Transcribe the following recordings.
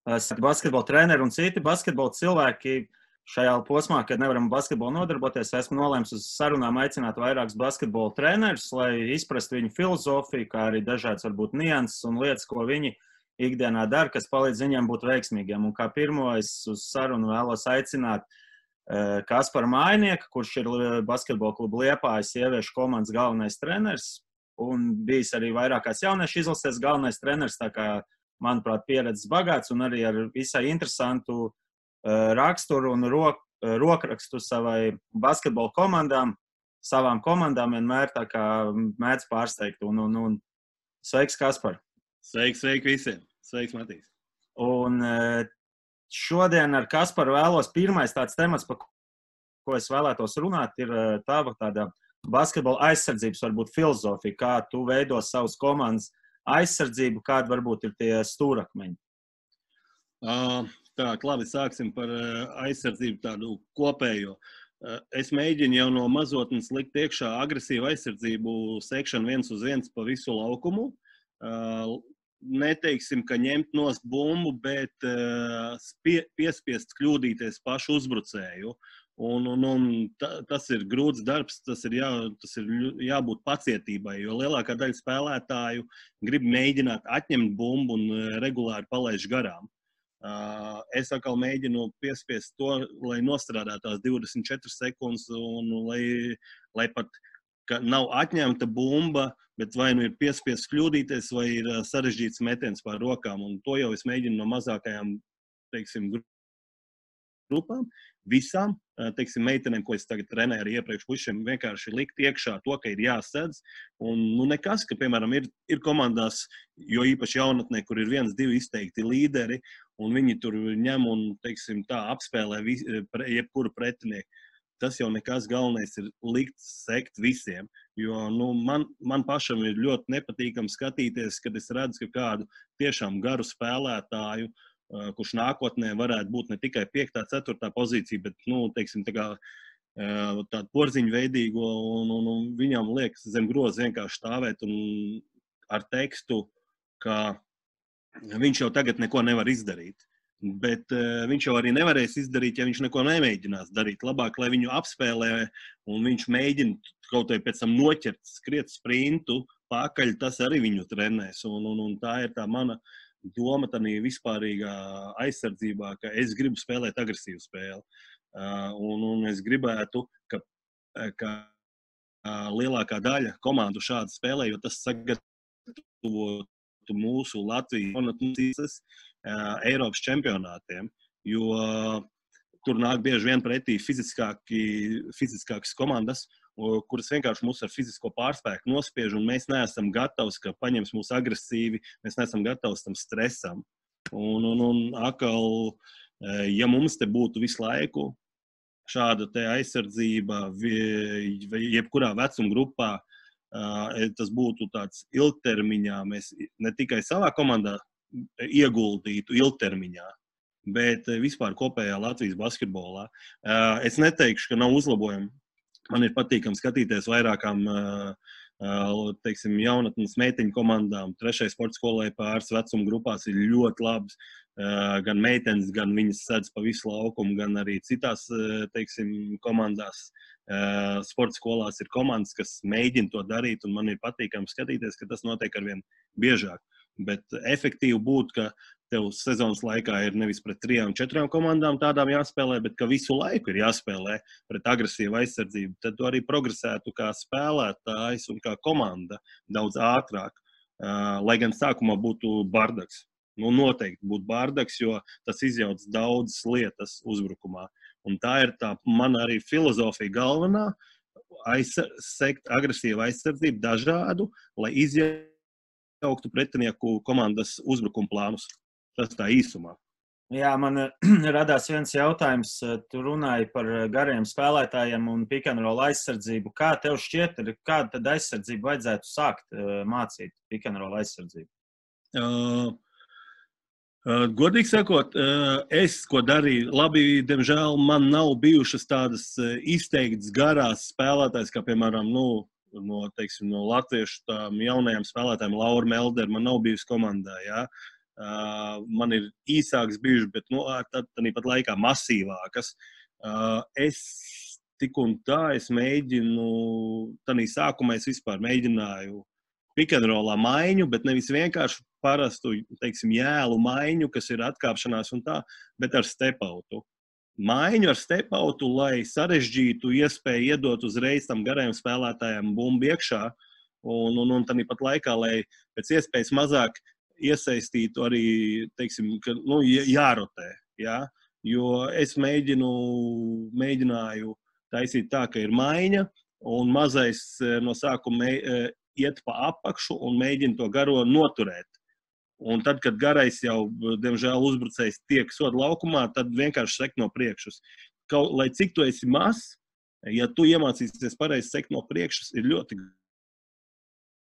basketbola treneri un citi basketbola cilvēki šajā posmā, kad nevaram basketbolu nodarboties, esmu nolēmis uz sarunām aicināt vairākus basketbola trenerus, lai izprastu viņu filozofiju, kā arī dažādas varbūt nianses un lietas, ko viņi ikdienā dara, kas palīdz viņiem būt veiksmīgiem. Un kā pirmo es uz sarunu vēlos aicināt Kasparu Mājnieku, kurš ir basketbola kluba Liepājas sieviešu komandas galvenais treneris un bijis arī vairākās jauniešu izlases galvenais treneris, tā kā, manuprāt, pieredzes bagāts un arī ar visai interesantu raksturu un rokrakstu savai basketbola komandām, savām komandām vienmēr tā kā mēdz pārsteigt. Un sveiks, Kaspar! Sveiks visiem! Sveiks, Matīs! Un šodien ar Kasparu vēlos pirmais tāds temats, par ko es vēlētos runāt, ir tava tāda basketbola aizsardzības varbūt filozofija, kā tu veido savas komandas aizsardzību, kādi varbūt ir tie stūrakmeņi. Tā, labi, sāksim par aizsardzību tādu kopējo. Es mēģinu jau no mazotnes likt iekšā agresīvu aizsardzību, sekšanu 1-uz-1 pa visu laukumu. Neteiksim, ka ņemt nost bumbu, bet piespiest kļūdīties pašu uzbrucēju. Tas ir grūts darbs, tas ir jābūt pacietībai, jo lielākā daļa spēlētāju grib mēģināt atņemt bumbu un regulāri palaiž garām. Es atkal mēģinu piespiest to, lai nostrādā tās 24 sekundes un lai pat nav atņemta bumba, bet vai nu ir piespiest kļūdīties, vai ir sarežģīts metiens pār rokām. Un to jau es mēģinu no mazākajām, teiksim, grupām, visām, teiksim, meitenēm, ko es tagad trenēju arī iepriekš pušiem, vienkārši likt iekšā to, ka ir jāsadz. Un nekas, ka, piemēram, ir komandās, jo īpaši jaunatnē, kur ir 1-2 izteikti līderi, un viņi tur ņem un, teiksim, tā apspēlē jebkuru pretinieku. Tas jau nekas, galvenais ir likt sekt visiem, jo man pašam ir ļoti nepatīkami skatīties, kad es redzu, ka kādu tiešām garu spēlētāju, kurš nākotnē varētu būt ne tikai 5., 4. pozīcija, bet, teiksim, tādu porziņu veidīgo, un viņam liekas zem groza vienkārši stāvēt un ar tekstu, ka viņš jau tagad neko nevar izdarīt. Bet viņš jau arī nevarēs izdarīt, ja viņš neko nemēģinās darīt. Labāk, lai viņu apspēlē un viņš mēģina kaut vai pēc tam noķert, skriet sprintu, pakaļ, tas arī viņu trenēs. Un tā ir tā mana doma tādā vispārīgā aizsardzībā, ka es gribu spēlēt agresīvu spēli. Un es gribētu, ka lielākā daļa komandu šādi spēlē, jo tas sagatavotu mūsu Latvijas Eiropas čempionātiem, jo tur nāk bieži vien pretī fiziskākas komandas, kuras vienkārši mūs ar fizisko pārspēku nospiež, un mēs neesam gatavi, ka paņems mūs agresīvi, mēs neesam gatavi tam stresam. Un atkal, ja mums te būtu visu laiku šāda te aizsardzība jebkurā vecuma grupā, tas būtu tāds ilgtermiņā, mēs ne tikai savā komandā ieguldītu ilgtermiņā, bet vispār kopējā Latvijas basketbolā. Es neteikšu, ka nav uzlabojumi. Man ir patīkami skatīties vairākām, teiksim, jaunatnes meiteņu komandām. 3. sporta skolai pāris vecuma grupās ir ļoti labs. Gan meitenes, gan viņas sedz pa visu laukumu, gan arī citās, teiksim, komandās. Sporta skolās ir komandas, kas mēģina to darīt, un man ir patīkami skatīties, ka tas notiek arvien biežāk. Bet efektīvi būtu, ka tev sezonas laikā ir nevis pret 3, 4 komandām tādām jāspēlē, bet ka visu laiku ir jāspēlē pret agresīvu aizsardzību. Tad tu arī progresētu kā spēlētājs un kā komanda daudz ātrāk, lai gan sākumā būtu bardaks. Noteikti būtu bardaks, jo tas izjauc daudzas lietas uzbrukumā. Un tā ir tā mana arī filozofija galvenā, sekt agresīvu aizsardzību dažādu, lai izjauktu pretinieku komandas uzbrukuma plānus. Tas tā īsumā. Jā, man radās viens jautājums. Tu runāji par gariem spēlētājiem un pick and roll aizsardzību. Kā tev šķiet, kādu tad aizsardzību vajadzētu sākt mācīt pick and roll aizsardzību? Godīgi sakot, es, ko darīju, labi, diemžēl man nav bijušas tādas izteiktas garās spēlētājas, kā, piemēram, no latviešu tām jaunajām spēlētājiem, Laura Melder, man nav bijusi komandā, jā. Man ir īsākas bijušas, bet tāpat laikā masīvākas. Es tik un tā es mēģinu, tādā sākumā es vispār mēģināju pick-and-rollā maiņu, bet nevis vienkārši parastu, teiksim, jēlu maiņu, kas ir atkāpšanās un tā, bet ar step-outu. Maiņu ar step-outu, lai sarežģītu iespēju iedot uzreiz tam garajam spēlētājam bumbu iekšā, un tāpat laikā, lai pēc iespējas mazāk iesaistītu arī, teiksim, ka, jārotē, ja? Jo es mēģināju taisīt tā, ka ir maiņa, un mazais no sākuma iet pa apakšu un mēģina to garo noturēt. Un tad, kad garais jau, diemžēl, uzbrucējs tiek soda laukumā, tad vienkārši sekt no priekšas. Lai cik tu esi mazs, ja tu iemācīsies pareizi sekt no priekšas, ir ļoti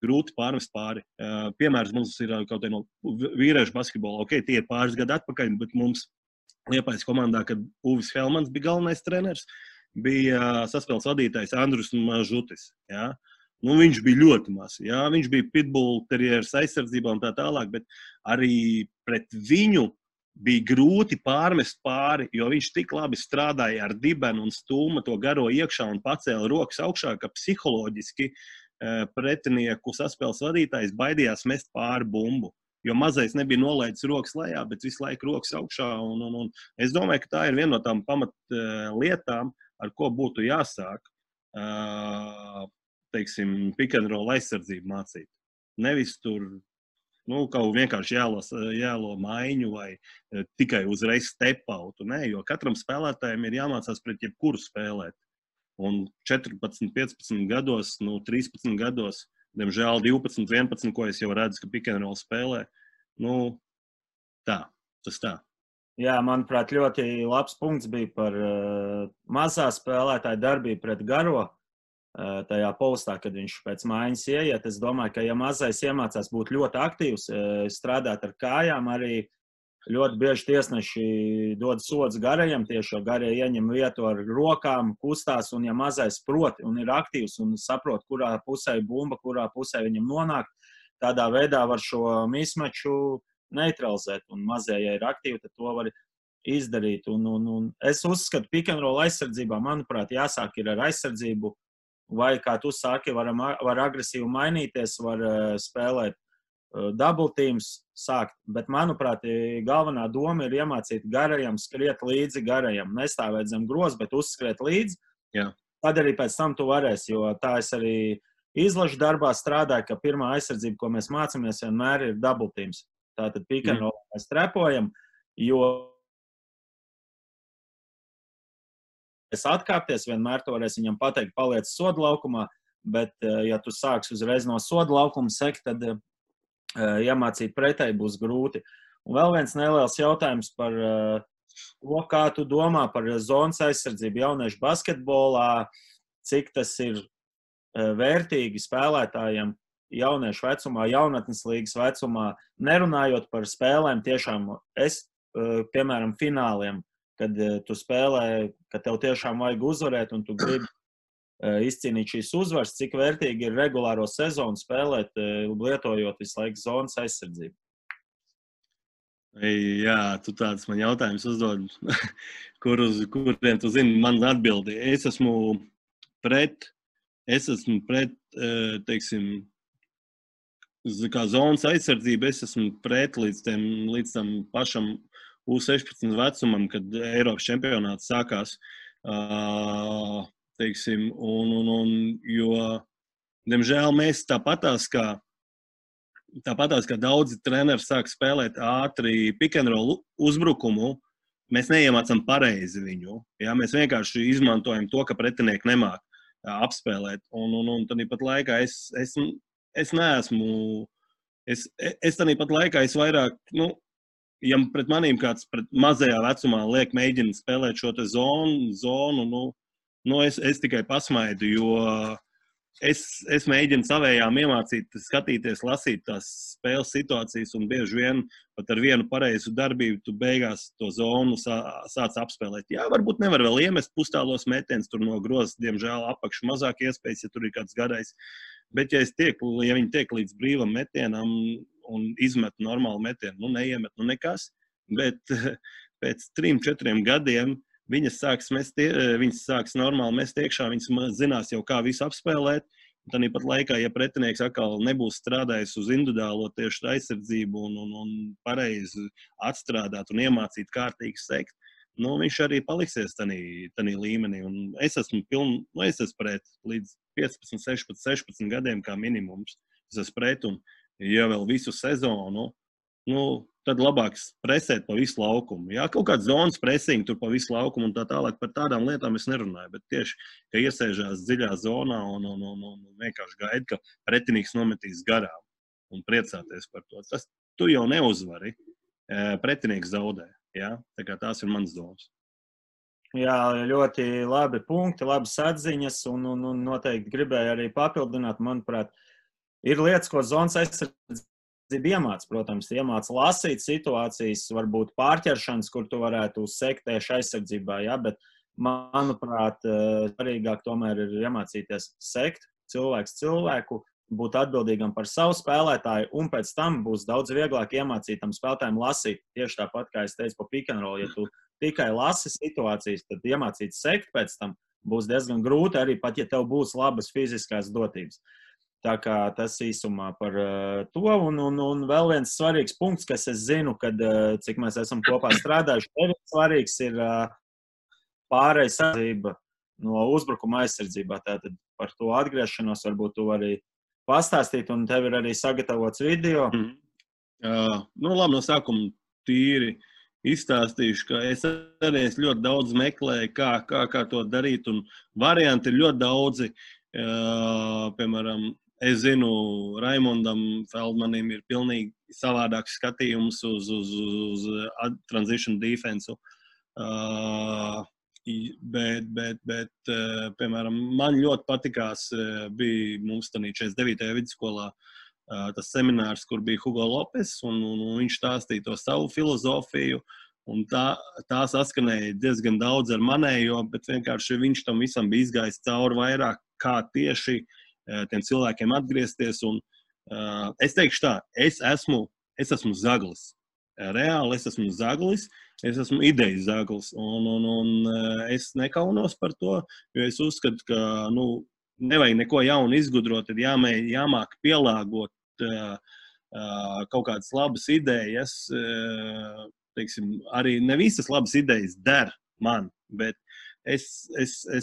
grūti pārmest pāri. Piemērs mums ir kaut kā no vīriešu basketbola. Ok, tie ir pāris gadu atpakaļ, bet mums Liepājas komandā, kad Uvis Helmans bija galvenais treneris, bija saspēles vadītājs Andrus Mažutis. Ja? Viņš bija ļoti mazs. Ja? Viņš bija pitbull terieris aizsardzībā un tā tālāk, bet arī pret viņu bija grūti pārmest pāri, jo viņš tik labi strādāja ar dibenu un stūma to garo iekšā un pacēla rokas augšā, ka psiholoģiski pretinieku saspēles vadītājs baidījās mest pāri bumbu, jo mazais nebija nolaidis rokas lejā, bet visu laiku rokas augšā. Un es domāju, ka tā ir viena no tām pamatlietām, ar ko būtu jāsāk, teiksim, pick-and-roll aizsardzību mācīt. Nevis tur, kaut vienkārši jālo maiņu vai tikai uzreiz step-outu, ne, jo katram spēlētājiem ir jāmācās pret jebkuru spēlēt. Un 14, 15 gados, 13 gados, diemžēl 12, 11, ko es jau redzu, ka pick-and-roll spēlē, tas tā. Jā, manuprāt, ļoti labs punkts bija par mazā spēlētāja darbību pret garo tajā postā, kad viņš pēc maiņas ieiet. Es domāju, ka ja mazais iemācās būt ļoti aktīvs, strādāt ar kājām, arī ļoti bieži tiesneši dod sodus garajam, tieši jo garie ieņem vietu ar rokām, kustās, un ja mazais prot un ir aktīvs un saprot, kurā pusē bumba, kurā pusē viņam nonāk, tādā veidā var šo mismeču neutralizēt, un mazie, ja ir aktīvi, tad to var izdarīt. Un es uzskatu, pick-and-roll aizsardzībā, manuprāt, jāsāk ir ar aizsardzību, vai, kā tu saki, var agresīvi mainīties, var spēlēt double teams sākt, bet, manuprāt, galvenā doma ir iemācīt garajam skriet līdzi garajam. Nestāvēt zem groza, bet uzskriet līdzi. Jā. Tad arī pēc tam tu varēsi, jo tā es arī izlašu darbā strādāju, ka pirmā aizsardzība, ko mēs mācāmies, vienmēr ir double teams. Tātad pick-and-roll mēs trepojam, jo es atkāpties, vienmēr to varēs viņam pateikt, paliec soda laukumā, bet, ja tu sāks uzreiz no soda laukuma sekt, tad iemācīt pretēji būs grūti. Un vēl viens neliels jautājums par to, kā tu domā par zonas aizsardzību jauniešu basketbolā, cik tas ir vērtīgi spēlētājiem jauniešu vecumā, jaunatnes līgas vecumā, nerunājot par spēlēm tiešām piemēram, fināliem, kad tu spēlē, ka tev tiešām vajag uzvarēt un tu gribi izcīnīt šīs uzvaras, cik vērtīgi ir regulāro sezonu spēlēt, lietojot visu laiku zonas aizsardzību. Jā, tu tāds man jautājums uzdod, kuriem tu zini, man atbildi. Es esmu pret, teiksim, kā zonas aizsardzība, es esmu pret līdz tam pašam U16 vecumam, kad Eiropas čempionāts sākās. Teiksim, jo, diemžēl, mēs tāpatās, kā daudzi treneri sāk spēlēt ātri pick-and-roll uzbrukumu, mēs neiemācam pareizi viņu. Ja? Mēs vienkārši izmantojam to, ka pretinieki nemāk apspēlēt. Un tāpat laikā es neesmu, es tāpat laikā es vairāk, ja pret manīm kāds pret mazajā vecumā liek mēģina spēlēt šo te zonu, es tikai pasmaidu, jo es mēģinu savējām iemācīt, skatīties, lasīt tās spēles situācijas, un bieži vien pat ar vienu pareizu darbību tu beigās to zonu sāc apspēlēt. Jā, varbūt nevar vēl iemest pustālos metienus, tur no grozas, diemžēl, apakšu mazāk iespējas, ja tur ir kāds garais. Bet, ja viņi tiek līdz brīvam metienam, un izmet normālu metienu. Neiemet, nekas. Bet pēc 3-4 gadiem viņas sāks normāli mest iekšā, viņas zinās jau, kā visu apspēlēt. Tāpat laikā, ja pretinieks atkal nebūs strādājis uz individuālo tieši aizsardzību un pareizi atstrādāt un iemācīt kārtīgi sekt, viņš arī paliksies tanī līmenī. Un es esmu pret līdz 15, 16 gadiem kā minimums. Es esmu pret un, ja vēl visu sezonu, tad labāk presēt pa visu laukumu. Jā, kaut kāds zonas presing tur pa visu laukumu un tā tālāk par tādām lietām es nerunāju, bet tieši, ka iesēžās dziļā zonā un vienkārši gaida, ka pretinieks nometīs garām un priecāties par to. Tas tu jau neuzvari, pretinieks zaudē. Jā? Tā kā tās ir mans domas. Jā, ļoti labi punkti, labas atziņas un noteikti gribēju arī papildināt, manuprāt, ir lietas, ko zonas aizsardzība iemāc, protams, iemāc lasīt situācijas, varbūt pārķeršanas, kur tu varētu sekt tieši aizsardzībā, ja? Bet, manuprāt, svarīgāk tomēr ir iemācīties sekt cilvēku, būt atbildīgam par savu spēlētāju, un pēc tam būs daudz vieglāk iemācīt tam spēlētājiem lasīt. Tieši tāpat, kā es teicu pa pick and roll, ja tu tikai lasi situācijas, tad iemācīt sekt pēc tam būs diezgan grūti, arī pat, ja tev būs labas fiziskās dotības. Tā kā tas īsumā par to. Un vēl viens svarīgs punkts, kas es zinu, kad, cik mēs esam kopā strādājuši, tev svarīgs ir pārējais aizsardzība no uzbrukuma aizsardzībā. Tātad par to atgriešanos varbūt tu arī pastāstīt, un tev ir arī sagatavots video. Labi, no sākuma tīri izstāstīšu, ka es arī ļoti daudz meklēju, kā to darīt, un varianti ir ļoti daudzi. Piemēram, es zinu, Raimondam Feldmanim ir pilnīgi savādāks skatījums uz transition defensu. Bet piemēram, man ļoti patikās, bija mums tādā 49. vidusskolā tas seminārs, kur bija Hugo Lopes, un viņš stāstīja to savu filozofiju, un tā saskanēja diezgan daudz ar manējo, bet vienkārši viņš tam visam bija izgājis cauri vairāk, kā tieši tiem cilvēkiem atgriezties, un es teikšu tā, es esmu zaglis. Reāli es esmu zaglis, es esmu idejas zaglis, un es nekaunos par to, jo es uzskatu, ka, nevajag neko jaunu izgudrot, tad jāmāk pielāgot kaut kādas labas idejas, teiksim, arī ne visas labas idejas der man, bet es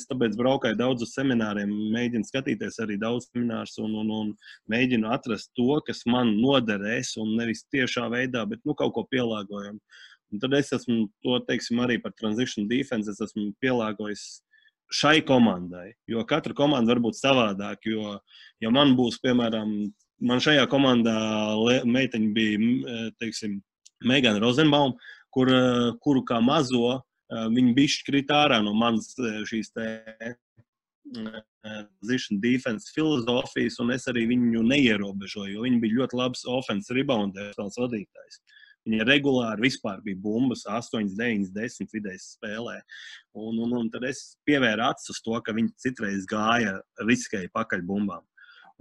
tāpēc braukāju daudz uz semināriem, mēģinu skatīties arī daudz seminārus un mēģinu atrast to, kas man noderēs, un nevis tiešā veidā, bet kaut ko pielāgojam. Un tad es esmu to, teiksim, arī par transition defense, es esmu pielāgojis šai komandai, jo katra komanda var būt savādāk, jo, ja man būs, piemēram, man šajā komandā meiteņa bija, teiksim, Megan Rosenbaum, kuru kā mazo, viņi bišķi krīt ārā no manas šīs transition defense filozofijas, un es arī viņu neierobežoju, jo viņi bija ļoti labs offense rebounders vadītājs. Viņa regulāri vispār bija bumbas 8, 9, 10 vidējas spēlē. Un tad es pievēru acis uz to, ka viņi citreiz gāja riskēja pakaļ bumbām.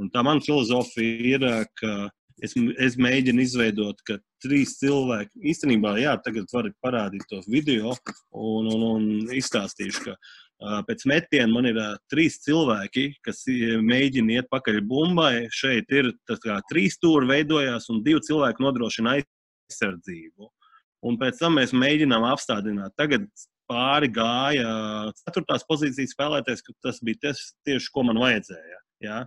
Un tā man filozofija ir, ka es mēģinu izveidot, ka 3 cilvēki, īstenībā, jā, tagad var parādīt tos video un izstāstīšu, ka pēc metiena man ir 3 cilvēki, kas mēģina iet pakaļ bumbai. Šeit ir 3 stūri veidojās un 2 cilvēki nodrošina aizsardzību. Un pēc tam mēs mēģinām apstādināt. Tagad pāri gāja 4. pozīcijas spēlētājs, ka tas bija tieši, ko man vajadzēja. Jā.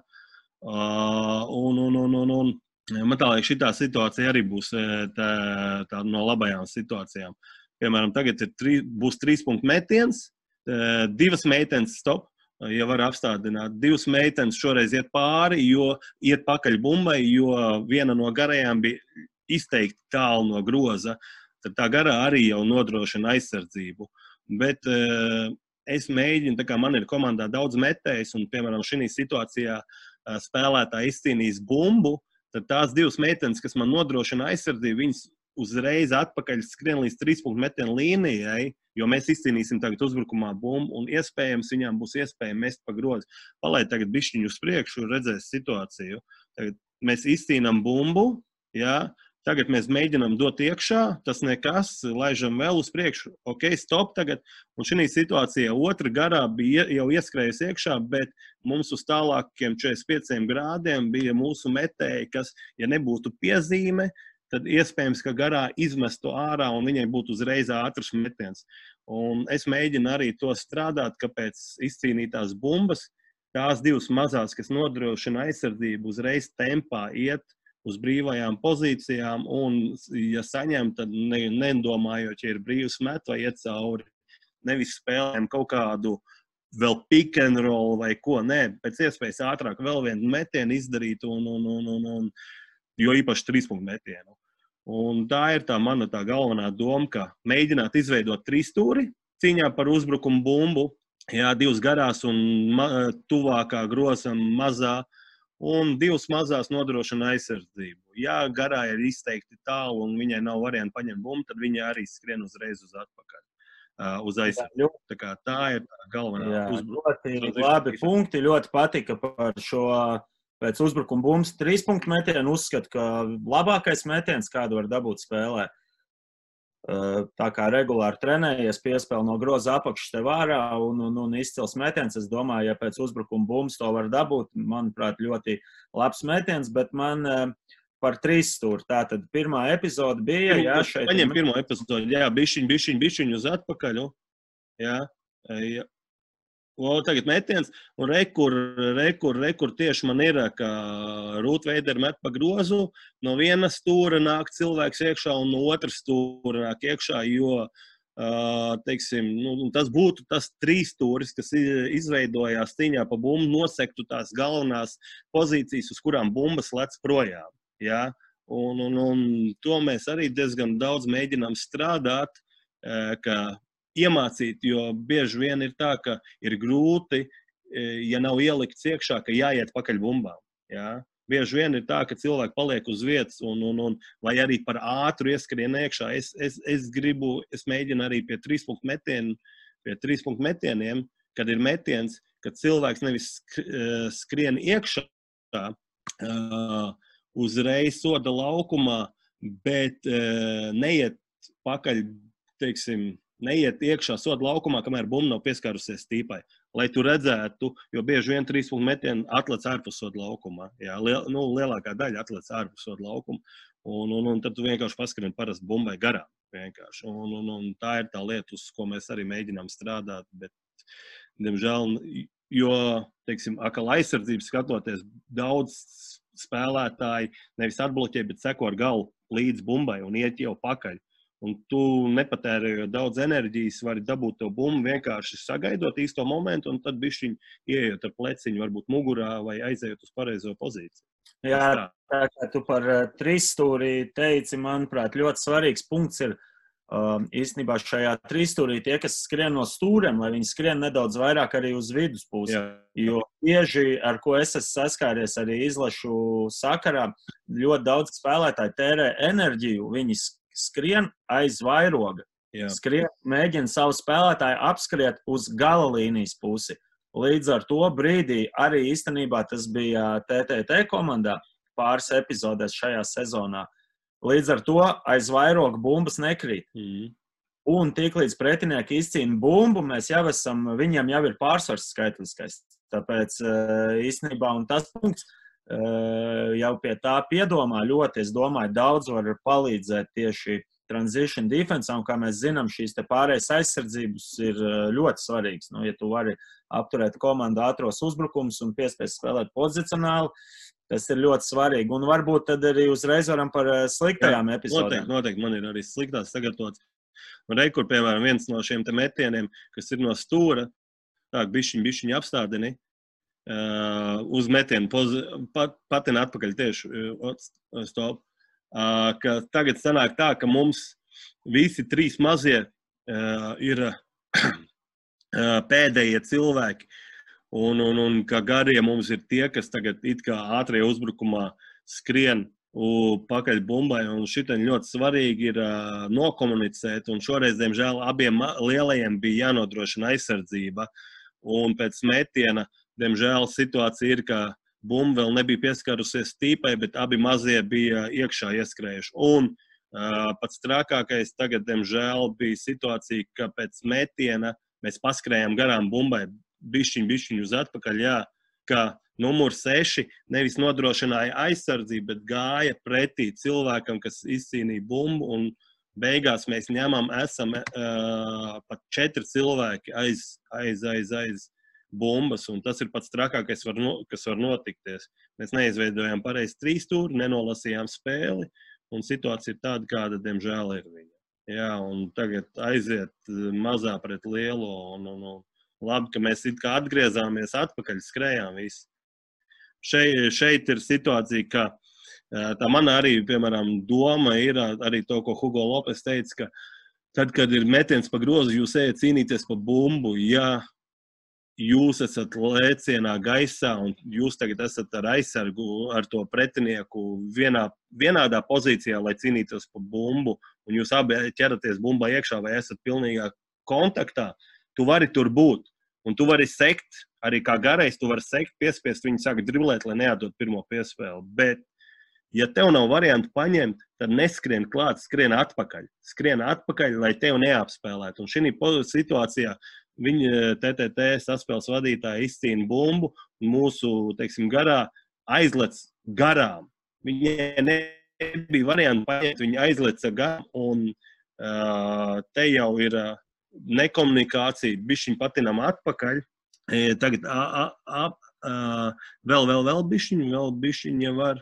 Man tā liekas, šitā situācija arī būs tā no labajām situācijām. Piemēram, tagad būs 3 punktu metiens, 2 meitenes stop, ja var apstādināt. 2 meitenes šoreiz iet pāri, jo iet pakaļ bumbai, jo viena no garajām bija izteikti tālu no groza. Tad tā garā arī jau nodrošina aizsardzību. Bet es mēģinu, tā kā man ir komandā daudz metējs, un, piemēram, šī situācijā spēlētāji izcīnīs bumbu, tad tās 2 meitenes, kas man nodrošina aizsardzību, viņas uzreiz atpakaļ skrien līdz 3 punktu metienu līnijai, jo mēs izcīnīsim tagad uzbrukumā bumbu, un iespējams viņām būs iespēja mest pa grozu. Palaid tagad bišķiņu uz priekšu, redzēs situāciju. Tagad mēs izcīnām bumbu, Jā. Tagad mēs mēģinām dot iekšā, tas nekas, laižam vēl uz priekšu, ok, stop tagad. Un šī situācijā otra garā bija jau ieskrējusi iekšā, bet mums uz tālākiem 45 grādiem bija mūsu metēji, kas, ja nebūtu piezīme, tad iespējams, ka garā izmestu ārā un viņai būtu uzreiz ātrs metiens. Un es mēģinu arī to strādāt, ka pēc izcīnītās bumbas, tās divas mazās, kas nodrošina aizsardzību, uzreiz tempā iet uz brīvajām pozīcijām, un, ja saņem, tad nedomājot, ja ir brīvs met vai iet cauri. Nevis spēlēm kaut kādu vēl pick and roll vai ko, nē, pēc iespējas ātrāk vēl vienu metienu izdarīt, jo īpaši 3-punktu metienu. Un tā ir tā mana tā galvenā doma, ka mēģināt izveidot 3 stūri cīņā par uzbrukumu bumbu, jā, 2 garās un tuvākā grozam mazā, un 2 mazās nodrošina aizsardzību. Ja garā ir izteikti tālu un viņai nav varianti paņemt bumbu, tad viņa arī skrien uzreiz uz atpakaļ, uz aizsardzību. Tā ir tā galvenā uzbrukuma. Ļoti labi punkti, ļoti patika par šo pēc uzbrukuma bumbas 3-punktu metienu. Uzskatu, ka labākais metiens, kādu var dabūt spēlē. Tā kā regulāri trenējies, piespēle no groza apakšas tev ārā un izcils metiens. Es domāju, ja pēc uzbrukuma bumbas to var dabūt, manuprāt, ļoti labs metiens, bet man par 3 stūri. Tātad pirmā epizode bija, jā, šeit. Paņem pirmo epizodi, jā, bišķiņ uz atpakaļ, jā. Tagad metiens, un rekur tieši man ir, ka Rūtveideri met pa grozu, no viena stūra nāk cilvēks iekšā un no otras stūra nāk iekšā, jo, teiksim, tas būtu tas 3 stūris, kas izveidojās cīņā pa bumbu, nosektu tās galvenās pozīcijas, uz kurām bumbas lec projām, jā. Un to mēs arī diezgan daudz mēģinām strādāt, ka iemācīt, jo bieži vien ir tā, ka ir grūti, ja nav ielikts iekšā, ka jāiet pakaļ bumbām. Jā. Bieži vien ir tā, ka cilvēki paliek uz vietas un vai arī par ātru ieskrien iekšā. Es mēģinu arī pie 3-punktu metieniem, kad ir metiens, kad cilvēks nevis skrien iekšā uzreiz soda laukumā, bet neiet pakaļ, teiksim, neiet iekšā soda laukumā, kamēr bumba nav pieskārusies tīpai. Lai tu redzētu, jo bieži vien 3-punktu metienu atlec ārpus soda laukumā. Jā, lielākā daļa atlec ārpus soda laukuma. Un tad tu vienkārši paskrien parasti bumbai garām. Vienkārši. Un tā ir tā lieta, uz ko mēs arī mēģinām strādāt. Bet, diemžēl, jo, teiksim, akal aizsardzības skatoties, daudz spēlētāji nevis atbloķē, bet seko ar galu līdz bumbai un iet jau pakaļ. Un tu nepatērējot daudz enerģijas, vari dabūt to bumbu vienkārši sagaidot īsto momentu, un tad bišķiņ ieejot ar pleciņu, varbūt mugurā vai aizējot uz pareizo pozīciju. Jā, tā kā tu par 3 stūrī teici, manuprāt, ļoti svarīgs punkts ir īstenībā šajā 3 stūrī tie, kas skrien no stūriem, lai viņi skrien nedaudz vairāk arī uz viduspusi. Jo bieži, ar ko es esmu saskāries arī izlašu sakarā, ļoti daudz spēlētāji tērē enerģiju, viņi skrien aiz vairoga. Skrien, mēģina savu spēlētāju apskriet uz gala līnijas pusi. Līdz ar to brīdī arī īstenībā tas bija TTT komandā pāris epizodēs šajā sezonā. Līdz ar to aiz vairoga bumbas nekrīt. Un tiklīdz pretinieki izcīna bumbu, mēs jau esam, viņiem jau ir pārsvars skaitliskais. Tāpēc īstenībā un tas punkts jau pie tā piedomā ļoti, es domāju, daudz var palīdzēt tieši transition defense, un kā mēs zinām, šīs te pārējais aizsardzības ir ļoti svarīgas. Nu, ja tu vari apturēt komandu ātros uzbrukums un piespiest spēlēt pozicionāli, tas ir ļoti svarīgi. Un varbūt tad arī uzreiz varam par sliktajām epizodēm. Noteikti, man ir arī sliktās sagatavots. Un rekur, piemēram, viens no šiem te metieniem, kas ir no stūra, tā bišķiņ apstādini, uz metienu patina atpakaļ tieši stop. Ka tagad sanāk tā, ka mums visi 3 mazie ir pēdējie cilvēki un ka garie mums ir tie, kas tagad it kā ātrajā uzbrukumā skrien pakaļ bumbai, un šitien ļoti svarīgi ir nokomunicēt, un šoreiz, diemžēl, abiem lielajiem bija jānodrošina aizsardzība, un pēc metiena, diemžēl, situācija ir, ka bumba vēl nebija pieskarusies tīpai, bet abi mazie bija iekšā ieskrējuši. Un pats trakākais tagad, diemžēl, bija situācija, ka pēc metiena mēs paskrējām garām bumbai bišķiņu uz atpakaļ, jā, ka numur 6 nevis nodrošināja aizsardzību, bet gāja pretī cilvēkam, kas izcīnīja bumbu, un beigās mēs esam pat 4 cilvēki aiz bumbas, un tas ir pats trakākais, kas var notikties. Mēs neizveidojām pareizi 3 stūri, nenolasījām spēli, un situācija ir tāda, kāda, diemžēl, ir viņa. Jā, un tagad aiziet mazā pret lielo, un labi, ka mēs it kā atgriezāmies atpakaļ, skrējām visi. Šeit ir situācija, ka tā mana arī, piemēram, doma ir arī to, ko Hugo Lopes teica, ka tad, kad ir metiens pa grozu, jūs ejat cīnīties pa bumbu, ja jūs esat lēcienā gaisā un jūs tagad esat ar aizsargu, ar to pretinieku vienādā pozīcijā, lai cīnītos pa bumbu, un jūs abi ķeraties bumbā iekšā vai esat pilnīgā kontaktā, tu vari tur būt. Un tu vari sekt, arī kā garais, tu vari sekt, piespiest viņu sākt driblēt, lai neatdot pirmo piespēli. Bet, ja tev nav variantu paņemt, tad neskrien klāt, skrien atpakaļ. Skrien atpakaļ, lai tev neapspēlētu. Un šī situācijā viņa TTT saspēles vadītāja izcīna bumbu un mūsu, teiksim, garā aizlec garām. Viņai nebija variantu paņemt, viņa aizleca garām, un te jau ir nekomunikācija, bišķiņ patinām atpakaļ. Tagad vēl bišķiņ jau var.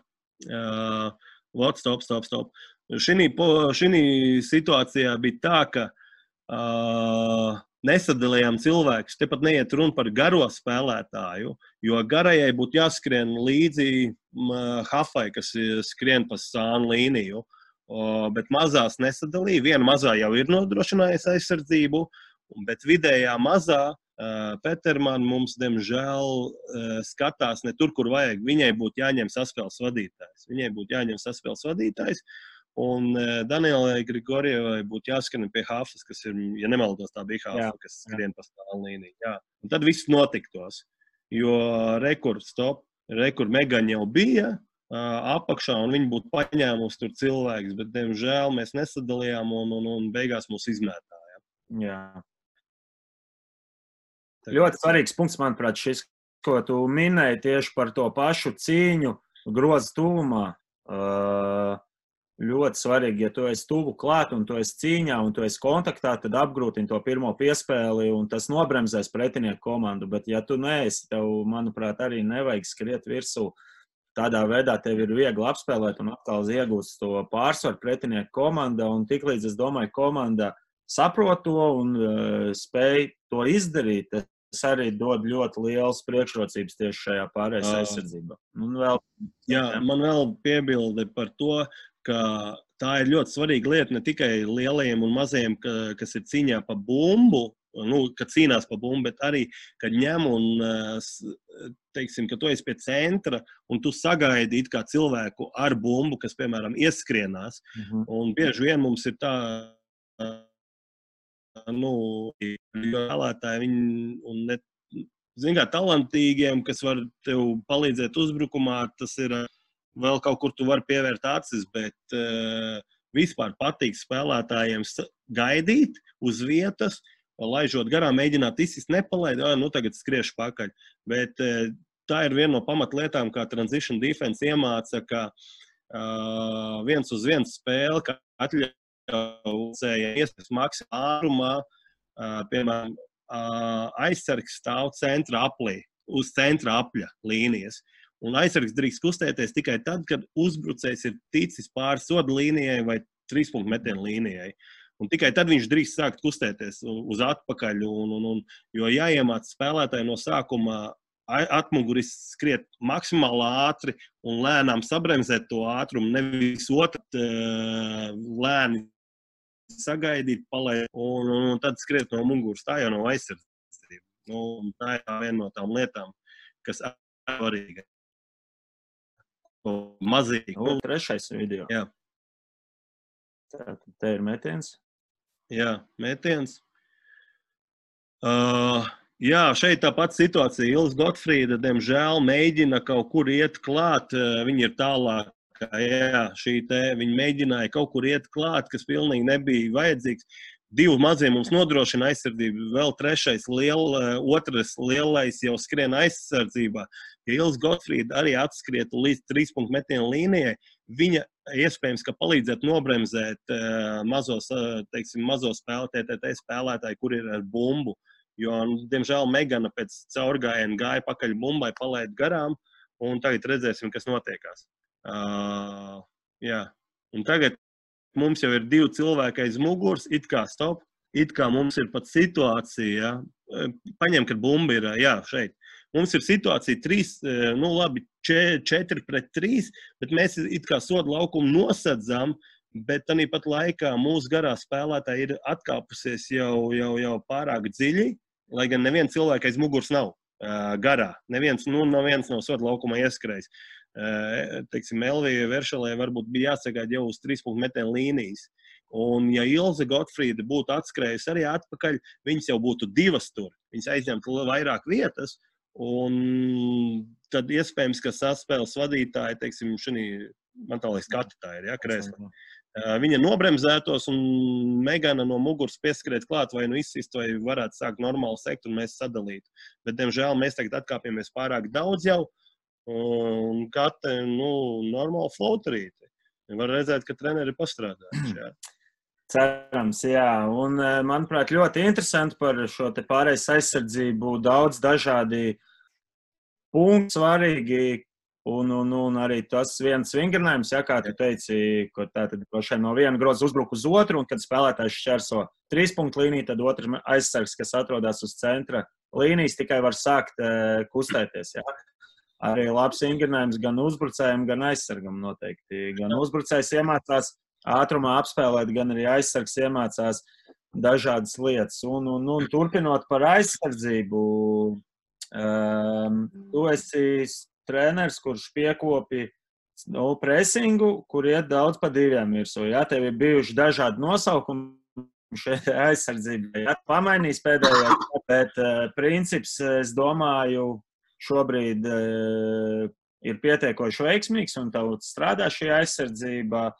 Stop. Šī situācijā bija tā, ka nesadalījām cilvēkus. Te pat neiet runa par garo spēlētāju, jo garajai būtu jāskrien līdzi hafai, kas skrien pa sānu līniju. Bet mazās nesadalīja. Viena mazā jau ir nodrošinājusi aizsardzību, bet vidējā mazā Peterman mums, diemžēl, skatās ne tur, kur vajag. Viņai būtu jāņem saspēles vadītājs. Un Danielai Grigorjevai būtu jāskrien pie hafas, kas ir, ja nemaldos, tā bija hafa, kas skrien pa stāvu līniju. Jā. Un tad viss notiktos, jo rekur Megaņa jau bija apakšā, un viņi būtu paņēmusi tur cilvēkus, bet, diemžēl, mēs nesadalījām un beigās mūs izmētāja. Jā. Ļoti svarīgs punkts, manuprāt, šis, ko tu minēji tieši par to pašu cīņu groza tuvumā. Ļoti svarīgi, ja tu esi tuvu klāt un tu esi cīņā un tu esi kontaktā, tad apgrūtini to pirmo piespēli un tas nobremzēs pretinieku komandu. Bet ja tu neesi, tev, manuprāt, arī nevajag skriet virsū. Tādā veidā tev ir viegli apspēlēt un atkal iegūst to pārsvaru pretinieku komanda. Un tiklīdz, es domāju, komanda saprot to un spēj to izdarīt, tas arī dod ļoti liels priekšrocības tieši šajā pārējais aizsardzībā. Man vēl piebilde par to, ka tā ir ļoti svarīga lieta ne tikai lielajiem un mazajiem, kas ir cīņā pa bumbu, kad cīnās pa bumbu, bet arī, kad ņem un, teiksim, ka tu esi pie centra un tu sagaidi it kā cilvēku ar bumbu, kas, piemēram, ieskrienās. Un bieži vien mums ir tā, vēlētāji viņi, un ne, zin kā, talantīgiem, kas var tev palīdzēt uzbrukumā, tas ir vēl kaut kur tu vari pievērt acis, bet vispār patīk spēlētājiem gaidīt uz vietas, laižot garām, mēģināt izsist, nepalaid, tagad skriešu pakaļ. Bet tā ir viena no pamatlietām, kā transition defense iemāca, ka 1-uz-1 spēle, ka atļaujējiem iespējas maksimālā ātrumā, piemēram, aizsargs stāv centra aplī, uz centra apļa līnijas. Un aizsargs drīkst kustēties tikai tad, kad uzbrucējs ir ticis pāri soda līnijai vai 3-punktu metienu līnijai. Un tikai tad viņš drīkst sākt kustēties uz atpakaļ, jo jāiemāc spēlētāji no sākuma atmuguris skriet maksimāli ātri un lēnām sabremzēt to ātrumu, nevis lēni sagaidīt, palaid, un tad skriet no muguras. Tā jau nav aizsardzība. Tā ir viena no tām lietām, kas ir svarīga. Mazīgi. Trešais video. Jā. Te ir metiens. Jā, metiens. Jā, šeit tā pati situācija. Ilza Gotfrīda, diemžēl, mēģina kaut kur iet klāt. Viņa ir tālāk. Jā, viņa mēģināja kaut kur iet klāt, kas pilnīgi nebija vajadzīgs. 2 mazie mums nodrošina aizsardzību, vēl 3. otrs lielais jau skrien aizsardzībā. Ja Ilza Gotfrīda arī atskrietu līdz 3 punktu metienu līnijai, viņa iespējams, ka palīdzētu nobremzēt mazo TTT spēlētāju, kur ir ar bumbu. Jo, diemžēl, Megana pēc caurgājiena gāja pakaļ bumbai, palaid garām, un tagad redzēsim, kas notiekās. Jā. Un tagad mums jau ir 2 cilvēki aiz muguras, it kā stop, it kā mums ir pat situācija, paņem, kad bumba ir, jā, šeit. Mums ir situācija 4-3, bet mēs it kā sodu laukumu nosadzām, bet tanī pat laikā mūsu garā spēlētāji ir atkāpusies jau pārāk dziļi, lai gan neviens cilvēks aiz muguras nav garā. Neviens nav sodu laukumā ieskrējis. Teiksim, Elvija Veršalē varbūt bija jāsagaida jau uz 3 punktu metienu līnijas. Un ja Ilze Gotfrīda būtu atskrējusi arī atpakaļ, viņas jau būtu 2 tur. Viņas aizņemtu vairāk vietas, un tad iespējams, ka saspēles vadītāji, teiksim, man tā liekas, kati tā ir, ja, krēsla. Viņa nobremzētos un Megana no muguras pieskrēt klāt vai izsist, vai varētu sākt normāli sekt un mēs sadalītu. Bet, diemžēl, mēs tagad atkāpjamies pārāk daudz jau un kati, normāli flauterīti. Var redzēt, ka treneri ir pastrādājuši, jā. Cerams, jā. Un, manuprāt, ļoti interesanti par šo te pārējais aizsardzību. Daudz dažādi punkti svarīgi. Un arī tas viens vingrinājums, ja, kā tu teici, ka tātad no viena groza uzbruk uz otru, un kad spēlētājs šķērso 3 punktu līniju, tad otrs aizsargs, kas atrodas uz centra līnijas, tikai var sākt kustēties. Ja. Arī labs vingrinājums gan uzbrucējiem, gan aizsargam noteikti. Gan uzbrucējs iemācās ātrumā apspēlēt, gan arī aizsargs iemācās dažādas lietas. Un turpinot par aizsardzību, tu esi treneris, kurš piekopi presingu, kur iet daudz pa 2 virsū. Ja, tev ir bijuši dažādi nosaukumi šeit aizsardzībai. Ja, pamainīs pēdējā, bet princips, es domāju, šobrīd ir pietiekoši veiksmīgs un tev strādā šī aizsardzība.